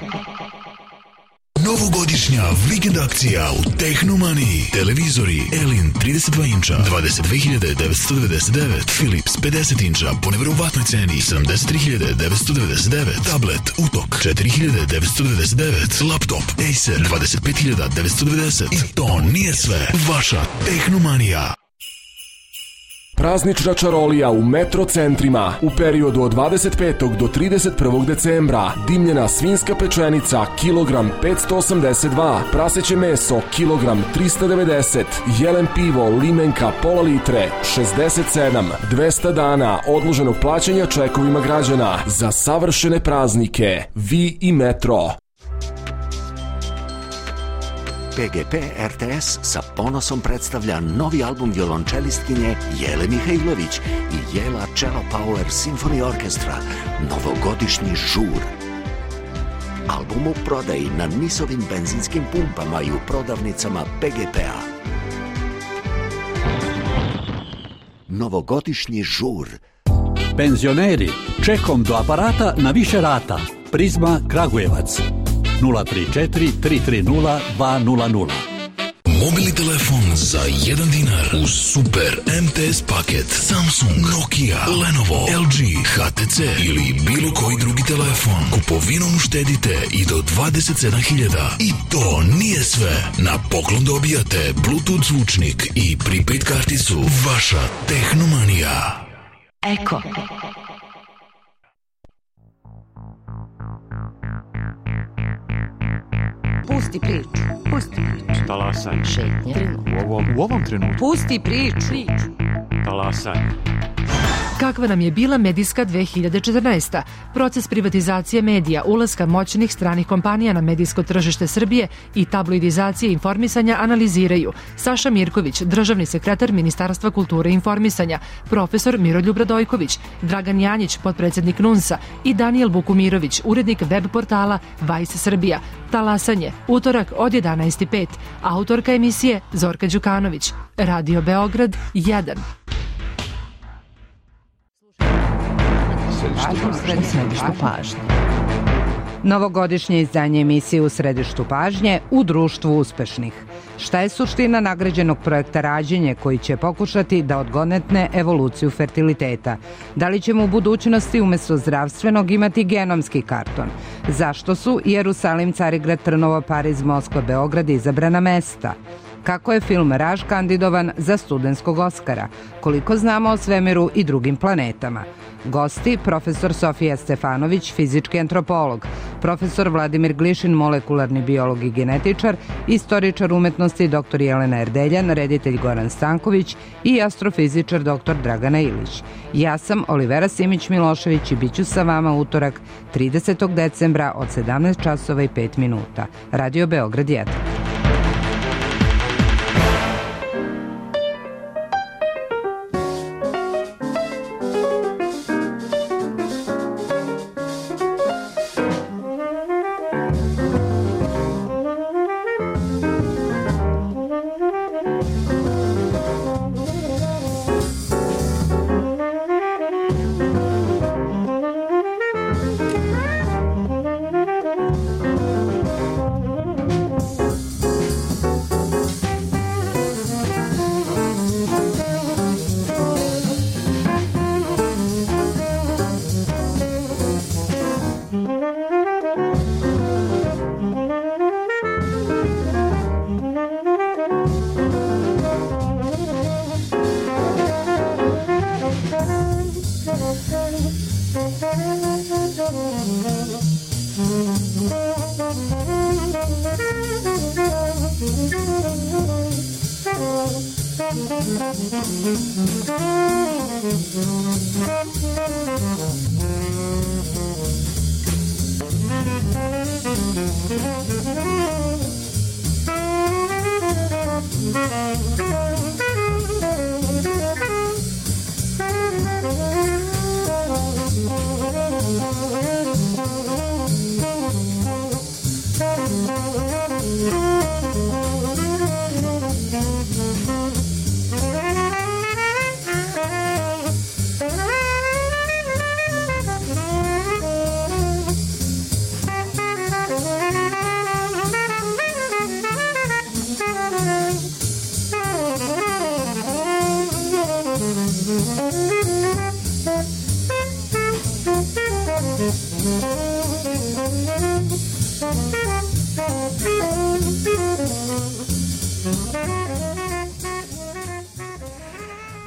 Novogodišnja vikend akcija u Tehnomaniji. Televizori Elin trideset dva inča dvadeset dve hiljade devetsto devedeset devet, Philips pedeset inča po neverovatnoj ceni sedamdeset tri hiljade devetsto devedeset devet, tablet Utok četiri hiljade devetsto devedeset devet, laptop Acer dvadeset pet hiljada devetsto devedeset. I to nije sve. Vaša Tehnomanija. Praznična čarolija u metro centrima u periodu od dvadeset petog do trideset prvog decembra. Dimljena svinjska pečenica kilogram petsto osamdeset dva, praseće meso kilogram trista devedeset, jelen pivo limenka pola litre šezdeset sedam. dvesta dana odloženog plaćanja čekovima građana za savršene praznike. Vi i metro. P G P R T S sa ponosom predstavlja novi album violončelistkinje Jele Mihajlović i Jela Cello Power Symphony Orchestra, Novogodišnji žur. Album u prodaji na Nisovim benzinskim pumpama i u prodavnicama P G P-a. Novogodišnji žur. Penzioneri, čekom do aparata na više rata. Prizma Kragujevac. nula tri četiri tri tri nula dva nula nula. Mobilni telefon za jedan dinar uz super M T S paket Samsung, Nokia, Lenovo, L G, H T C ili bilo koji drugi telefon. Kupovinom uštedite i do dvadeset sedam hiljada. I to nije sve. Na poklon dobijate Bluetooth zvučnik i prepaid karticu. Vaša Tehnomanija. Eko. Pusti priču. Pusti priču. Talasanje. Šetnje. U ovom, u ovom trenutku. Pusti priču. Talasanje. Kakva nam je bila medijska dve hiljade četrnaesta? Proces privatizacije medija, ulaska moćnih stranih kompanija na medijsko tržište Srbije i tabloidizacije informisanja analiziraju Saša Mirković, državni sekretar Ministarstva kulture i informisanja, profesor Miroljub Radojković, Dragan Janjić, potpredsjednik NUNS-a i Danijel Bukumirović, urednik web portala Vice Srbija. Talasanje, utorak od jedanaest i pet. Autorka emisije Zorka Đukanović. Radio Beograd jedan. U središtu pažnje. Novogodišnje izdanje emisije U središtu pažnje u društvu uspešnih. Šta je suština nagrađenog projekta Rađenje koji će pokušati da odgonetne evoluciju fertiliteta? Da li ćemo u budućnosti umesto zdravstvenog imati genomski karton? Zašto su Jerusalim, Carigrad, Trnovo, Pariz, Moskva, Beograd izabrana mesta? Kako je film Raž kandidovan za studentskog Oskara? Koliko znamo o svemiru i drugim planetama? Gosti, profesor Sofija Stefanović, fizički antropolog, profesor Vladimir Glišin, molekularni biolog i genetičar, istoričar umetnosti dr Jelena Erdeljan, reditelj Goran Stanković i astrofizičar dr Dragana Ilić. Ja sam Olivera Simić-Milošević i bit ću sa vama utorak tridesetog decembra od sedamnaest časova i pet minuta. Radio Beograd jedan. Thank you.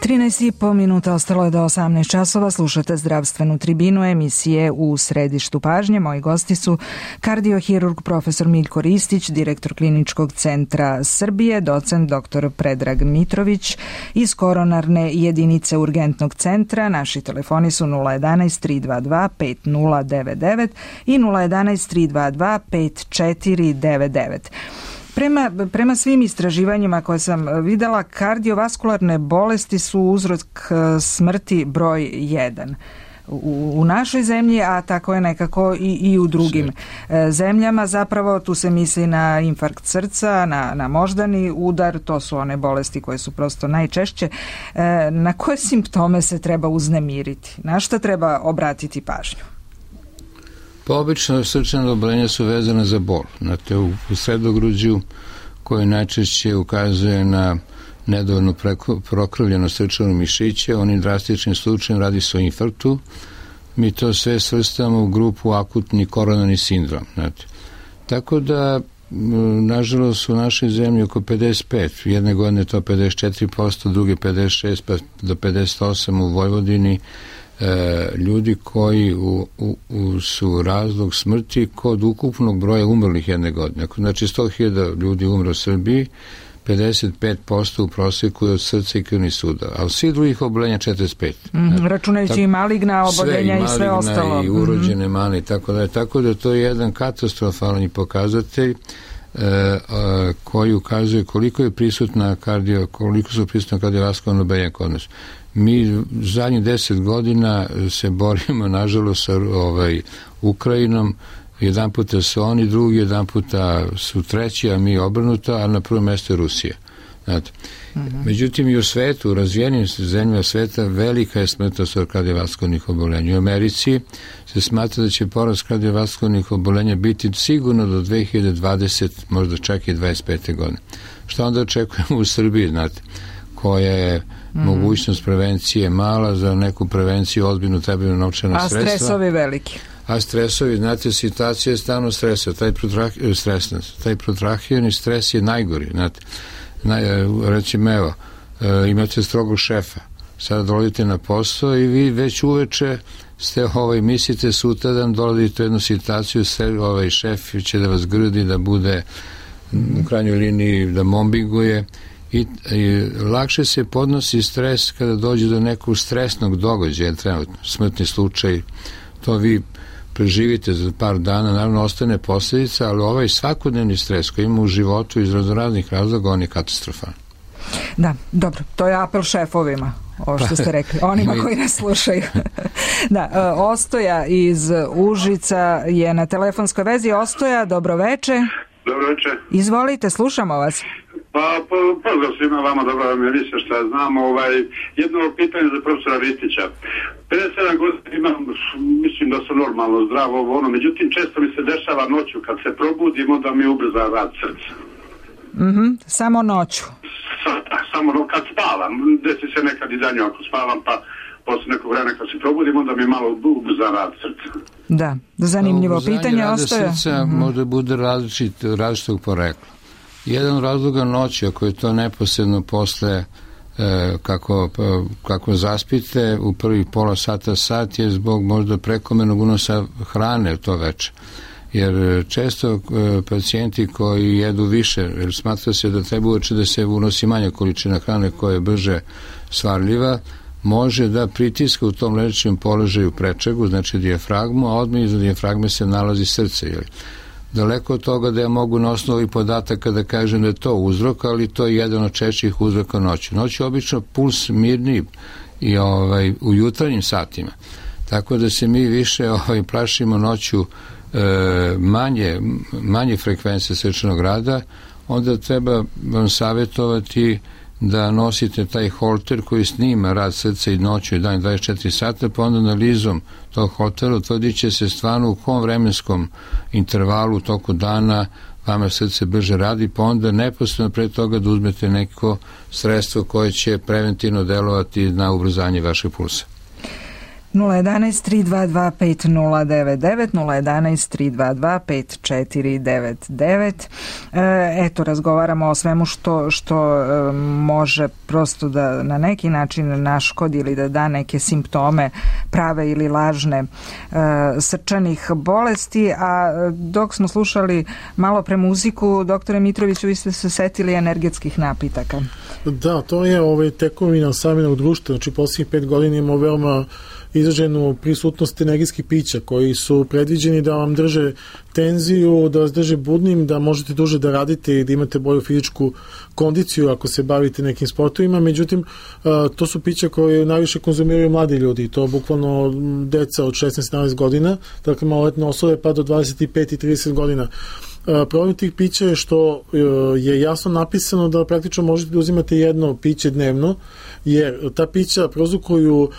trinaest i po minuta ostalo je do osamnaest časova. Slušate zdravstvenu tribinu emisije U središtu pažnje. Moji gosti su kardiohirurg profesor Miljko Ristić, direktor Kliničkog centra Srbije, docent doktor Predrag Mitrović iz koronarne jedinice urgentnog centra. Naši telefoni su nula jedanaest tri dva dva pet nula devet devet i nula jedanaest tri dva dva pet četiri devet devet. Prema, prema svim istraživanjima koje sam videla, kardiovaskularne bolesti su uzrok smrti broj jedan u, u našoj zemlji, a tako je nekako i, i u drugim Sve. zemljama. Zapravo tu se misli na infarkt srca, na, na moždani udar, to su one bolesti koje su prosto najčešće. Na koje simptome se treba uznemiriti? Na šta treba obratiti pažnju? Pa obično srčana oboljenja su vezana za bol. Znate, u, u sredogruđu koje najčešće ukazuje na nedovoljno prokrvljeno srčano mišiće, onim drastičnim slučajem radi se o infarktu. Mi to sve svrstamo u grupu akutni koronarni sindrom. Znate. Tako da, nažalost, u našoj zemlji oko pedeset pet, jedne godine to pedeset četiri posto, druge pedeset šest pa do pedeset osam u Vojvodini, E, ljudi koji u, u, u su razlog smrti kod ukupnog broja umrlih jedne godine. Znači sto hiljada ljudi umre u Srbiji, pedeset pet posto u prosjeku je od srca i krvnih sudova, a od svih drugih oboljenja četrdeset pet. Mm, računajući i maligna oboljenja i sve ostalo. I urođene male i tako da. Tako da to je jedan katastrofalni pokazatelj e, a, koji ukazuje koliko je prisutna kardio, koliko su prisutna kardiovaskularna oboljenja kod nas. Mi zadnjih deset godina se borimo, nažalost, sa ovaj, Ukrajinom. Jedan puta su oni drugi, jedan puta su treći, a mi obrnuto, a na prvom mjestu je Rusija. Znate. Mm-hmm. Međutim, i u svetu, u razvijenim zemljama sveta, velika je smrtnost od kardiovaskularnih oboljenja. U Americi se smatra da će porast kardiovaskularnih oboljenja biti sigurno do dve hiljade dvadesete, možda čak i dvadeset pete godine. Šta onda očekujemo u Srbiji, znate, koja je mm. mogućnost prevencije mala, za neku prevenciju ozbiljnu trebaju novčana a sredstva. A stresovi veliki. A stresovi, znate, situacija je stalno stresa, taj taj protrahirani stres je najgori, znate. Naj, recimo, evo, imate strogog šefa, sada dolazite na posao i vi već uveče ste, ovaj, mislite sutradan dolazite u jednu situaciju, sve, ovaj šef će da vas grdi, da bude u krajnjoj liniji, da mobbinguje. I, i lakše se podnosi stres kada dođe do nekog stresnog događaja, trenutno, smrtni slučaj, to vi preživite za par dana, naravno ostane posljedica, ali ovaj svakodnevni stres koji ima u životu iz raznoraznih razloga, on je katastrofalan. Da, dobro, to je apel šefovima, ovo što ste rekli, onima koji nas slušaju. Da, Ostoja iz Užica je na telefonskoj vezi. Ostoja, dobroveče. Dobroveče. Izvolite, slušamo vas. Pa, po, pozdrav svima vama, dobro vam je Lisa, šta ja znam, ovaj, jedno pitanje za profesora Ristića. pedeset sedam godina imam, mislim da sam normalno zdravo, ono, međutim često mi se dešava noću, kad se probudim, onda mi ubrza rad srca. Mhm, samo noću. Sa, samo no, kad spavam, desi se nekad i danju ako spavam, pa posle nekog vremena kad se probudim, onda mi malo ubrza rad srca. Da, zanimljivo pitanje. Ostoja srca mm-hmm. može bude različit, različitog porekla. Jedan razloga noći, ako je to neposredno posle e, kako, kako zaspite u prvih pola sata, sat je zbog možda prekomernog unosa hrane to veče. Jer često e, pacijenti koji jedu više, jer smatra se da treba uveče da se unosi manja količina hrane koja je brže svarljiva, može da pritiska u tom ležećem položaju prečegu, znači dijafragmu, a odmah iza dijafragme se nalazi srce, jel? Daleko od toga da ja mogu na osnovu ovih podataka da kažem da je to uzrok, ali to je jedan od češćih uzroka noći. Noći je obično puls mirniji i ovaj, u jutarnjim satima. Tako da se mi više ovaj, plašimo noću e, manje, manje frekvencije srčanog rada, onda treba vam savjetovati da nosite taj holter koji snima rad srca i noću i dan dvadeset četiri sata, pa onda analizom tog holtera utvrdit će se stvarno u kom vremenskom intervalu toku dana vama srce brže radi, pa onda neposredno pre toga da uzmete neko sredstvo koje će preventivno delovati na ubrzanje vašeg pulsa. nula jedan jedan tri dva dva pet nula devet devet, nula jedan jedan tri dva dva pet četiri devet devet. Eto, razgovaramo o svemu što, što e, može prosto da na neki način naškodi ili da da neke simptome prave ili lažne e, srčanih bolesti, a dok smo slušali malo pre muziku, doktore Mitroviću, vi ste se setili energetskih napitaka. Da, to je ovaj, tekovina savremenog društva, znači posljednjih pet godina imamo veoma izraženu prisutnost energijskih pića koji su predviđeni da vam drže tenziju, da vas drže budnim, da možete duže da radite i da imate bolju fizičku kondiciju ako se bavite nekim sportovima. Međutim, to su pića koje najviše konzumiraju mladi ljudi, to bukvalno deca od šesnaest do sedamnaest godina, dakle maloletne osobe pa do dvadeset pet i trideset godina. Problem tih pića je što je jasno napisano da praktično možete da uzimate jedno piće dnevno, jer ta pića prouzrokuju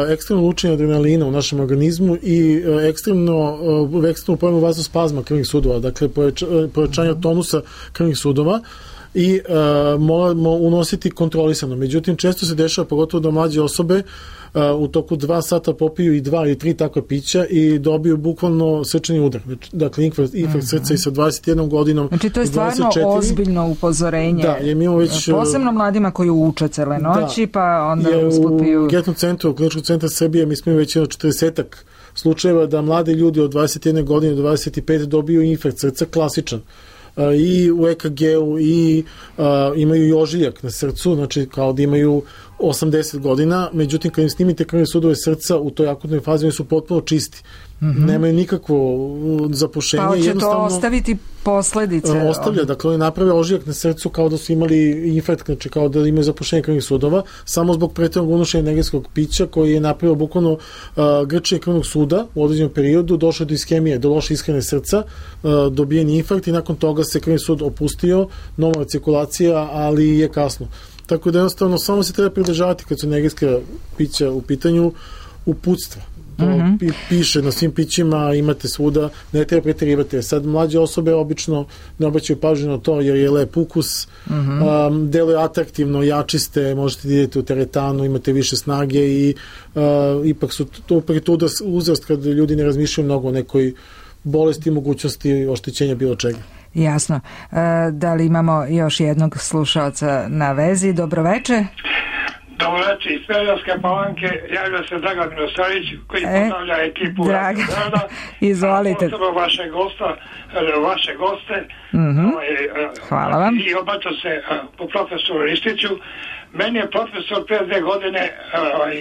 ekstremno lučenje adrenalina u našem organizmu i ekstremno, ekstremno pojemu vazospazma krvnih sudova, dakle povećanja tonusa krvnih sudova i uh, moramo unositi kontrolisano. Međutim, često se dešava, pogotovo da mlađe osobe uh, u toku dva sata popiju i dva ili tri takva pića i dobiju bukvalno srčani udar. Dakle, infarkt, infarkt uh-huh. srca i sa dvadeset jednom godinom. Znači, to je stvarno ozbiljno upozorenje. Da, je mi već, posebno mladima koji uče cele noći, da, pa onda usput piju. U Getnom centru, Kliničkog centra Srbije, mi smo već jedno četrdesetak slučajeva da mladi ljudi od dvadeset jedne godine do dvadeset pet dobiju infarkt srca klasičan. I u E K G-u i uh, imaju i ožiljak na srcu, znači kao da imaju osamdeset godina, međutim kad im snimite krvne sudove srca u toj akutnoj fazi oni su potpuno čisti. Mm-hmm. Nemaju nikakvo zapušenje. Pa hoće to ostaviti posledice? Ostavlja, dakle oni naprave ožiljak na srcu kao da su imali infarkt, znači kao da imaju zapušenje krvnih sudova, samo zbog preteranog unošenja energetskog pića koji je napravio bukvalno uh, grčenje krvnog suda u određenom periodu, došlo do iskemije, do loše ishrane srca, uh, dobijen infarkt i nakon toga se krvni sud opustio, normalna cirkulacija, ali je kasno. Tako da jednostavno samo se treba pridržavati kad su energetska pića u pitanju uputstva. To mm-hmm. piše na svim pićima, imate svuda, ne treba preterivati. Sad mlađe osobe obično ne obraćaju pažnju na to jer je lep ukus, mm-hmm. um, deluje atraktivno, jačiste, možete da idete u teretanu, imate više snage i uh, ipak su to upravo uzrast kad ljudi ne razmišljaju mnogo o nekoj bolesti, mogućnosti oštećenja bilo čega. Jasno. E, da li imamo još jednog slušalca na vezi? Dobroveče. Dobroveče, iz Smederevske Palanke javlja se Dragan Milosavljević koji e, pozdravlja ekipu Draga, izvolite. Posebno vaše gosta, vaše goste. Mm-hmm. Hvala vam. I obraća se po profesoru Ristiću. Meni je profesor pre dve godine ovaj,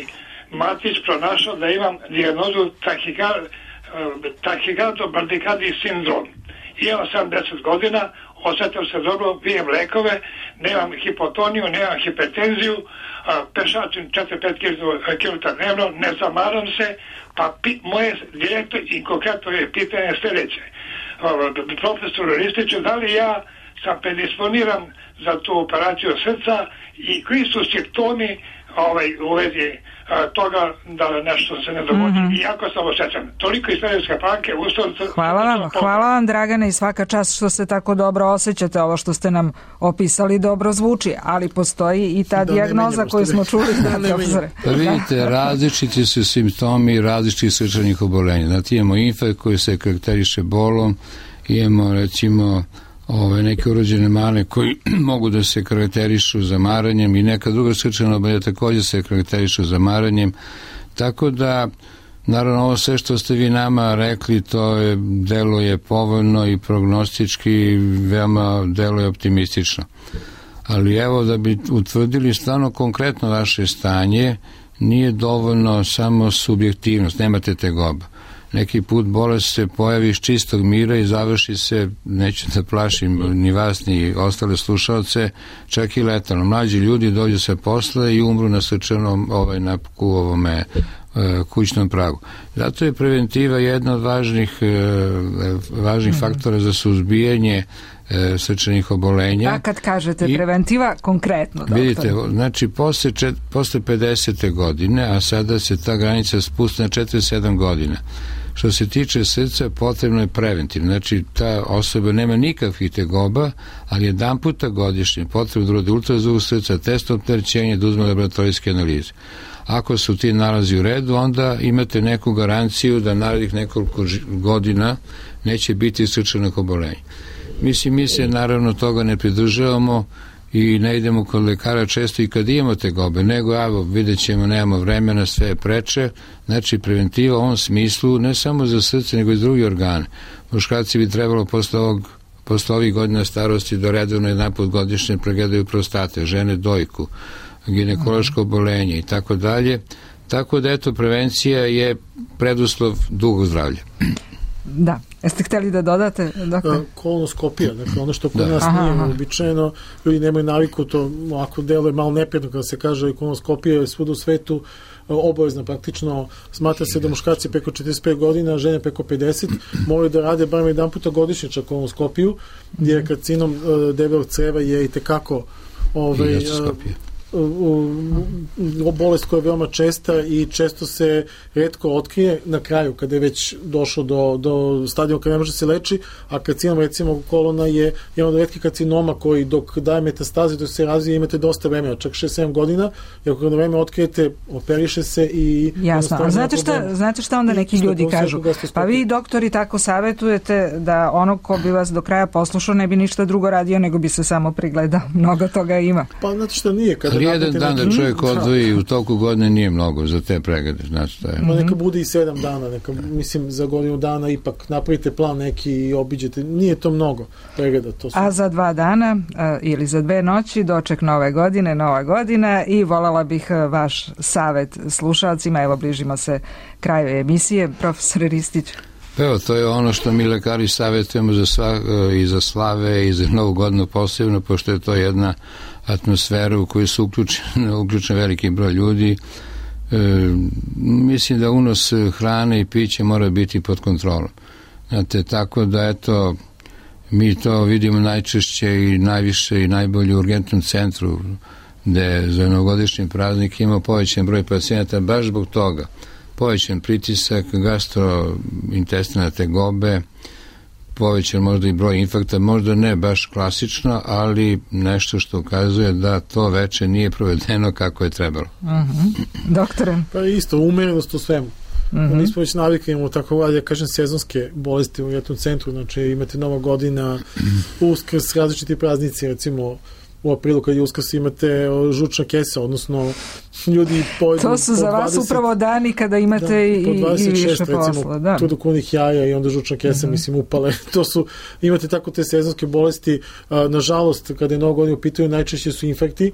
Matić pronašao da imam dijagnozu tahikardobardikardni sindrom. Imam sedamdeset godina, osjećam se dobro, pijem lekove, nemam hipotoniju, nemam hipertenziju, pešačim četiri do pet kilograma dnevno, ne zamaram se, pa pi, moje direktno i konkretno je pitanje sljedeće. Profesor Ristiću, da li ja sam predisponiran za tu operaciju srca i koji su simptomi ovaj, u vezi toga da nešto se ne dogodi. Mm-hmm. I jako sam osjećam. Toliko iz Smederevske Palanke. Hvala vam, hvala vam Dragane i svaka čast što se tako dobro osjećate. Ovo što ste nam opisali dobro zvuči, ali postoji i ta da dijagnoza koju smo čuli. Da, profesore. Pa vidite, različiti su simptomi različitih srčanih obolenja. Znači imamo infarkt koji se karakteriše bolom, imamo recimo ove neke urođene mane koji mogu da se karakterišu zamaranjem i neka druga srčana oboljenja također se karakterišu zamaranjem, tako da naravno ovo sve što ste vi nama rekli to je, deluje povoljno i prognostički veoma deluje optimistično, ali evo da bi utvrdili stvarno konkretno vaše stanje nije dovoljno samo subjektivnost, nemate tegoba. Neki put bolest se pojavi iz čistog mira i završi se, neću da plašim ni vas ni ostale slušalce, čak i letalno. Mlađi ljudi dođu se posle i umru na srčanom, ovaj, na ovome kućnom pragu. Zato je preventiva jedna od važnih, važnih mm-hmm. faktora za suzbijanje srčanih obolenja. A kad kažete I, preventiva, konkretno, doktor? Vidite, znači posle, čet, posle pedesete godine, a sada se ta granica spusti na četrdeset sedam godina. Što se tiče srca, potrebno je preventivno. Znači, ta osoba nema nikakvih tegoba, ali jedan puta godišnje potrebno da uradi ultrazvuk srca, test opterećenja, da uzme laboratorijske analize. Ako su ti nalazi u redu, onda imate neku garanciju da narednih nekoliko godina neće biti srčanog obolenja. Mislim, mi se naravno toga ne pridržavamo i ne idemo kod lekara često i kad imamo tegobe, nego evo, vidjet ćemo, nemamo vremena, sve je preče. Znači, preventiva u ovom smislu ne samo za srce, nego i drugi organe. Muškarci bi trebalo posle ovog posle ovih godina starosti da redovno jedan put godišnje pregledaju prostate, žene dojku, ginekološko obolenje i tako dalje. Tako da, eto, prevencija je preduslov dugog zdravlja. Da. Jeste hteli da dodate? Dakle? Kolonoskopija, dakle ono što kod nas aha, nije aha. uobičajeno, ljudi nemaju naviku, to ako deluje malo neprijatno kada se kaže kolonoskopija je svuda u svetu obavezna, praktično smatra se da muškarci preko četrdeset pet godina, žene preko pedeset moraju da rade bar jedan puta godišnje čak kolonoskopiju, jer karcinom debelog creva je i tekako ovaj, bolest koja je veoma česta i često se retko otkrije na kraju kada je već došlo do, do stadijuma kada ne može se leči, a karcinom recimo kolona je jedan od retkih karcinoma koji dok daje metastaze, dok se razvije imate dosta vremena, čak šest sedam godina, i ako na vreme otkrijete, operiše se i... Jasno, a znate šta, znate šta onda neki ljudi kažu? Pa vi doktori tako savjetujete da ono ko bi vas do kraja poslušao ne bi ništa drugo radio nego bi se samo prigledao. Mnogo toga ima. Pa znate šta nije, kada ali jedan dan neki... da čovjek odvoji u toku godine nije mnogo za te preglede, znači to je. Ma neka bude i sedam dana, neka, mislim za godinu dana ipak napravite plan neki i obiđete, nije to mnogo pregleda. To su... A za dva dana a, ili za dve noći doček nove godine, nova godina i voljela bih vaš savjet slušalcima, evo bližimo se kraju emisije, profesor Ristić. Evo, to je ono što mi lekari savjetujemo za sva, i za slave i za novu godinu posebno, pošto je to jedna atmosfera u kojoj su uključeni, uključen veliki broj ljudi. E, mislim da unos hrane i piće mora biti pod kontrolom. Znate, tako da, eto, mi to vidimo najčešće i najviše i najbolje u urgentnom centru, gde za novogodišnji praznik ima povećan broj pacijenata baš zbog toga. Povećan pritisak, gastrointestinalne tegobe, povećan možda i broj infarkta, možda ne baš klasično, ali nešto što ukazuje da to veče nije provedeno kako je trebalo. Uh-huh. Doktore? Pa isto, umerenost u svemu. Uh-huh. Mi smo već navikli, imamo tako, ja kažem, sezonske bolesti u jednom centru, znači imate Nova godina, Uskrs, različiti praznici, recimo u aprilu kad je Uskrs imate žučna kesa, odnosno ljudi pojedu... To su za vas upravo dani kada imate da, i, i više posla. Da. Tu do kunih jaja i onda žučna kesa, uh-huh. mislim, upale. To su, imate tako te sezonske bolesti. A, nažalost, kada je Nova godina u pitanju, najčešće su infekti,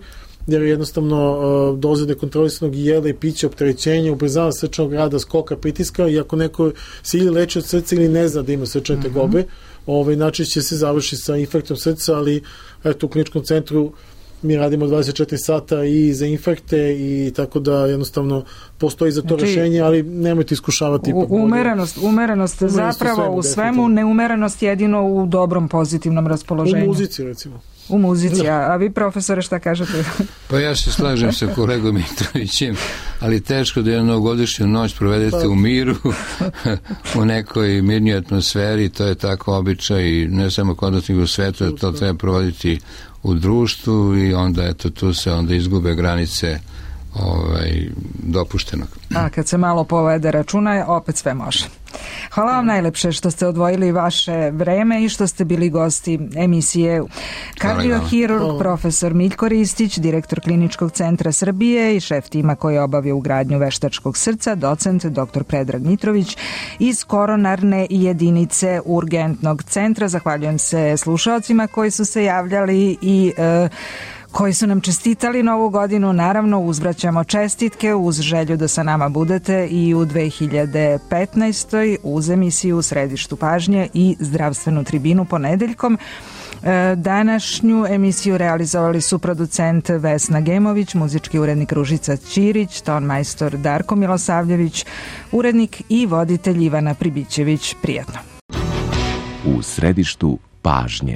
jer jednostavno uh, doze nekontrolisanog jela i pića, opterećenja, ubrzava srčanog rada, skoka, pritiska, i ako neko se ili leči od srca ili ne zna da ima srčane uh-huh. tegobe, ovaj, najčešće se završi sa infektom srca, ali eto, u kliničkom centru mi radimo dvadeset četiri sata i za infekte i tako da jednostavno postoji za to znači, rešenje, ali nemojte iskušavati. U, umerenost, umerenost, umerenost zapravo u svemu, u svemu neumerenost jedino u dobrom pozitivnom raspoloženju. U muzici recimo. U muzici, a, a vi profesore šta kažete? Pa ja se slažem sa kolegom Mitrovićem, ali teško da jednu novogodišnju noć provedete pa. u miru, u nekoj mirnoj atmosferi, to je tako običaj i ne samo kod nas nego u svetu, da to treba provoditi u društvu i onda eto tu se onda izgube granice ovaj, dopuštenog. A kad se malo povede računa, opet sve može. Hvala vam najlepše što ste odvojili vaše vreme i što ste bili gosti emisije. Kardiohirurg profesor Miljko Ristić, direktor Kliničkog centra Srbije i šef tima koji je obavio ugradnju veštačkog srca, docent doktor Predrag Mitrović iz koronarne jedinice Urgentnog centra. Zahvaljujem se slušaocima koji su se javljali i e, koji su nam čestitali Novu godinu. Naravno, uzvraćamo čestitke uz želju da sa nama budete i u dve hiljade petnaestoj uz emisiju u središtu pažnje i zdravstvenu tribinu ponedeljkom. Današnju emisiju realizovali su producent Vesna Gemović, muzički urednik Ružica Ćirić, ton majstor Darko Milosavljević, urednik i voditelj Ivana Pribićević. Prijatno. U središtu pažnje.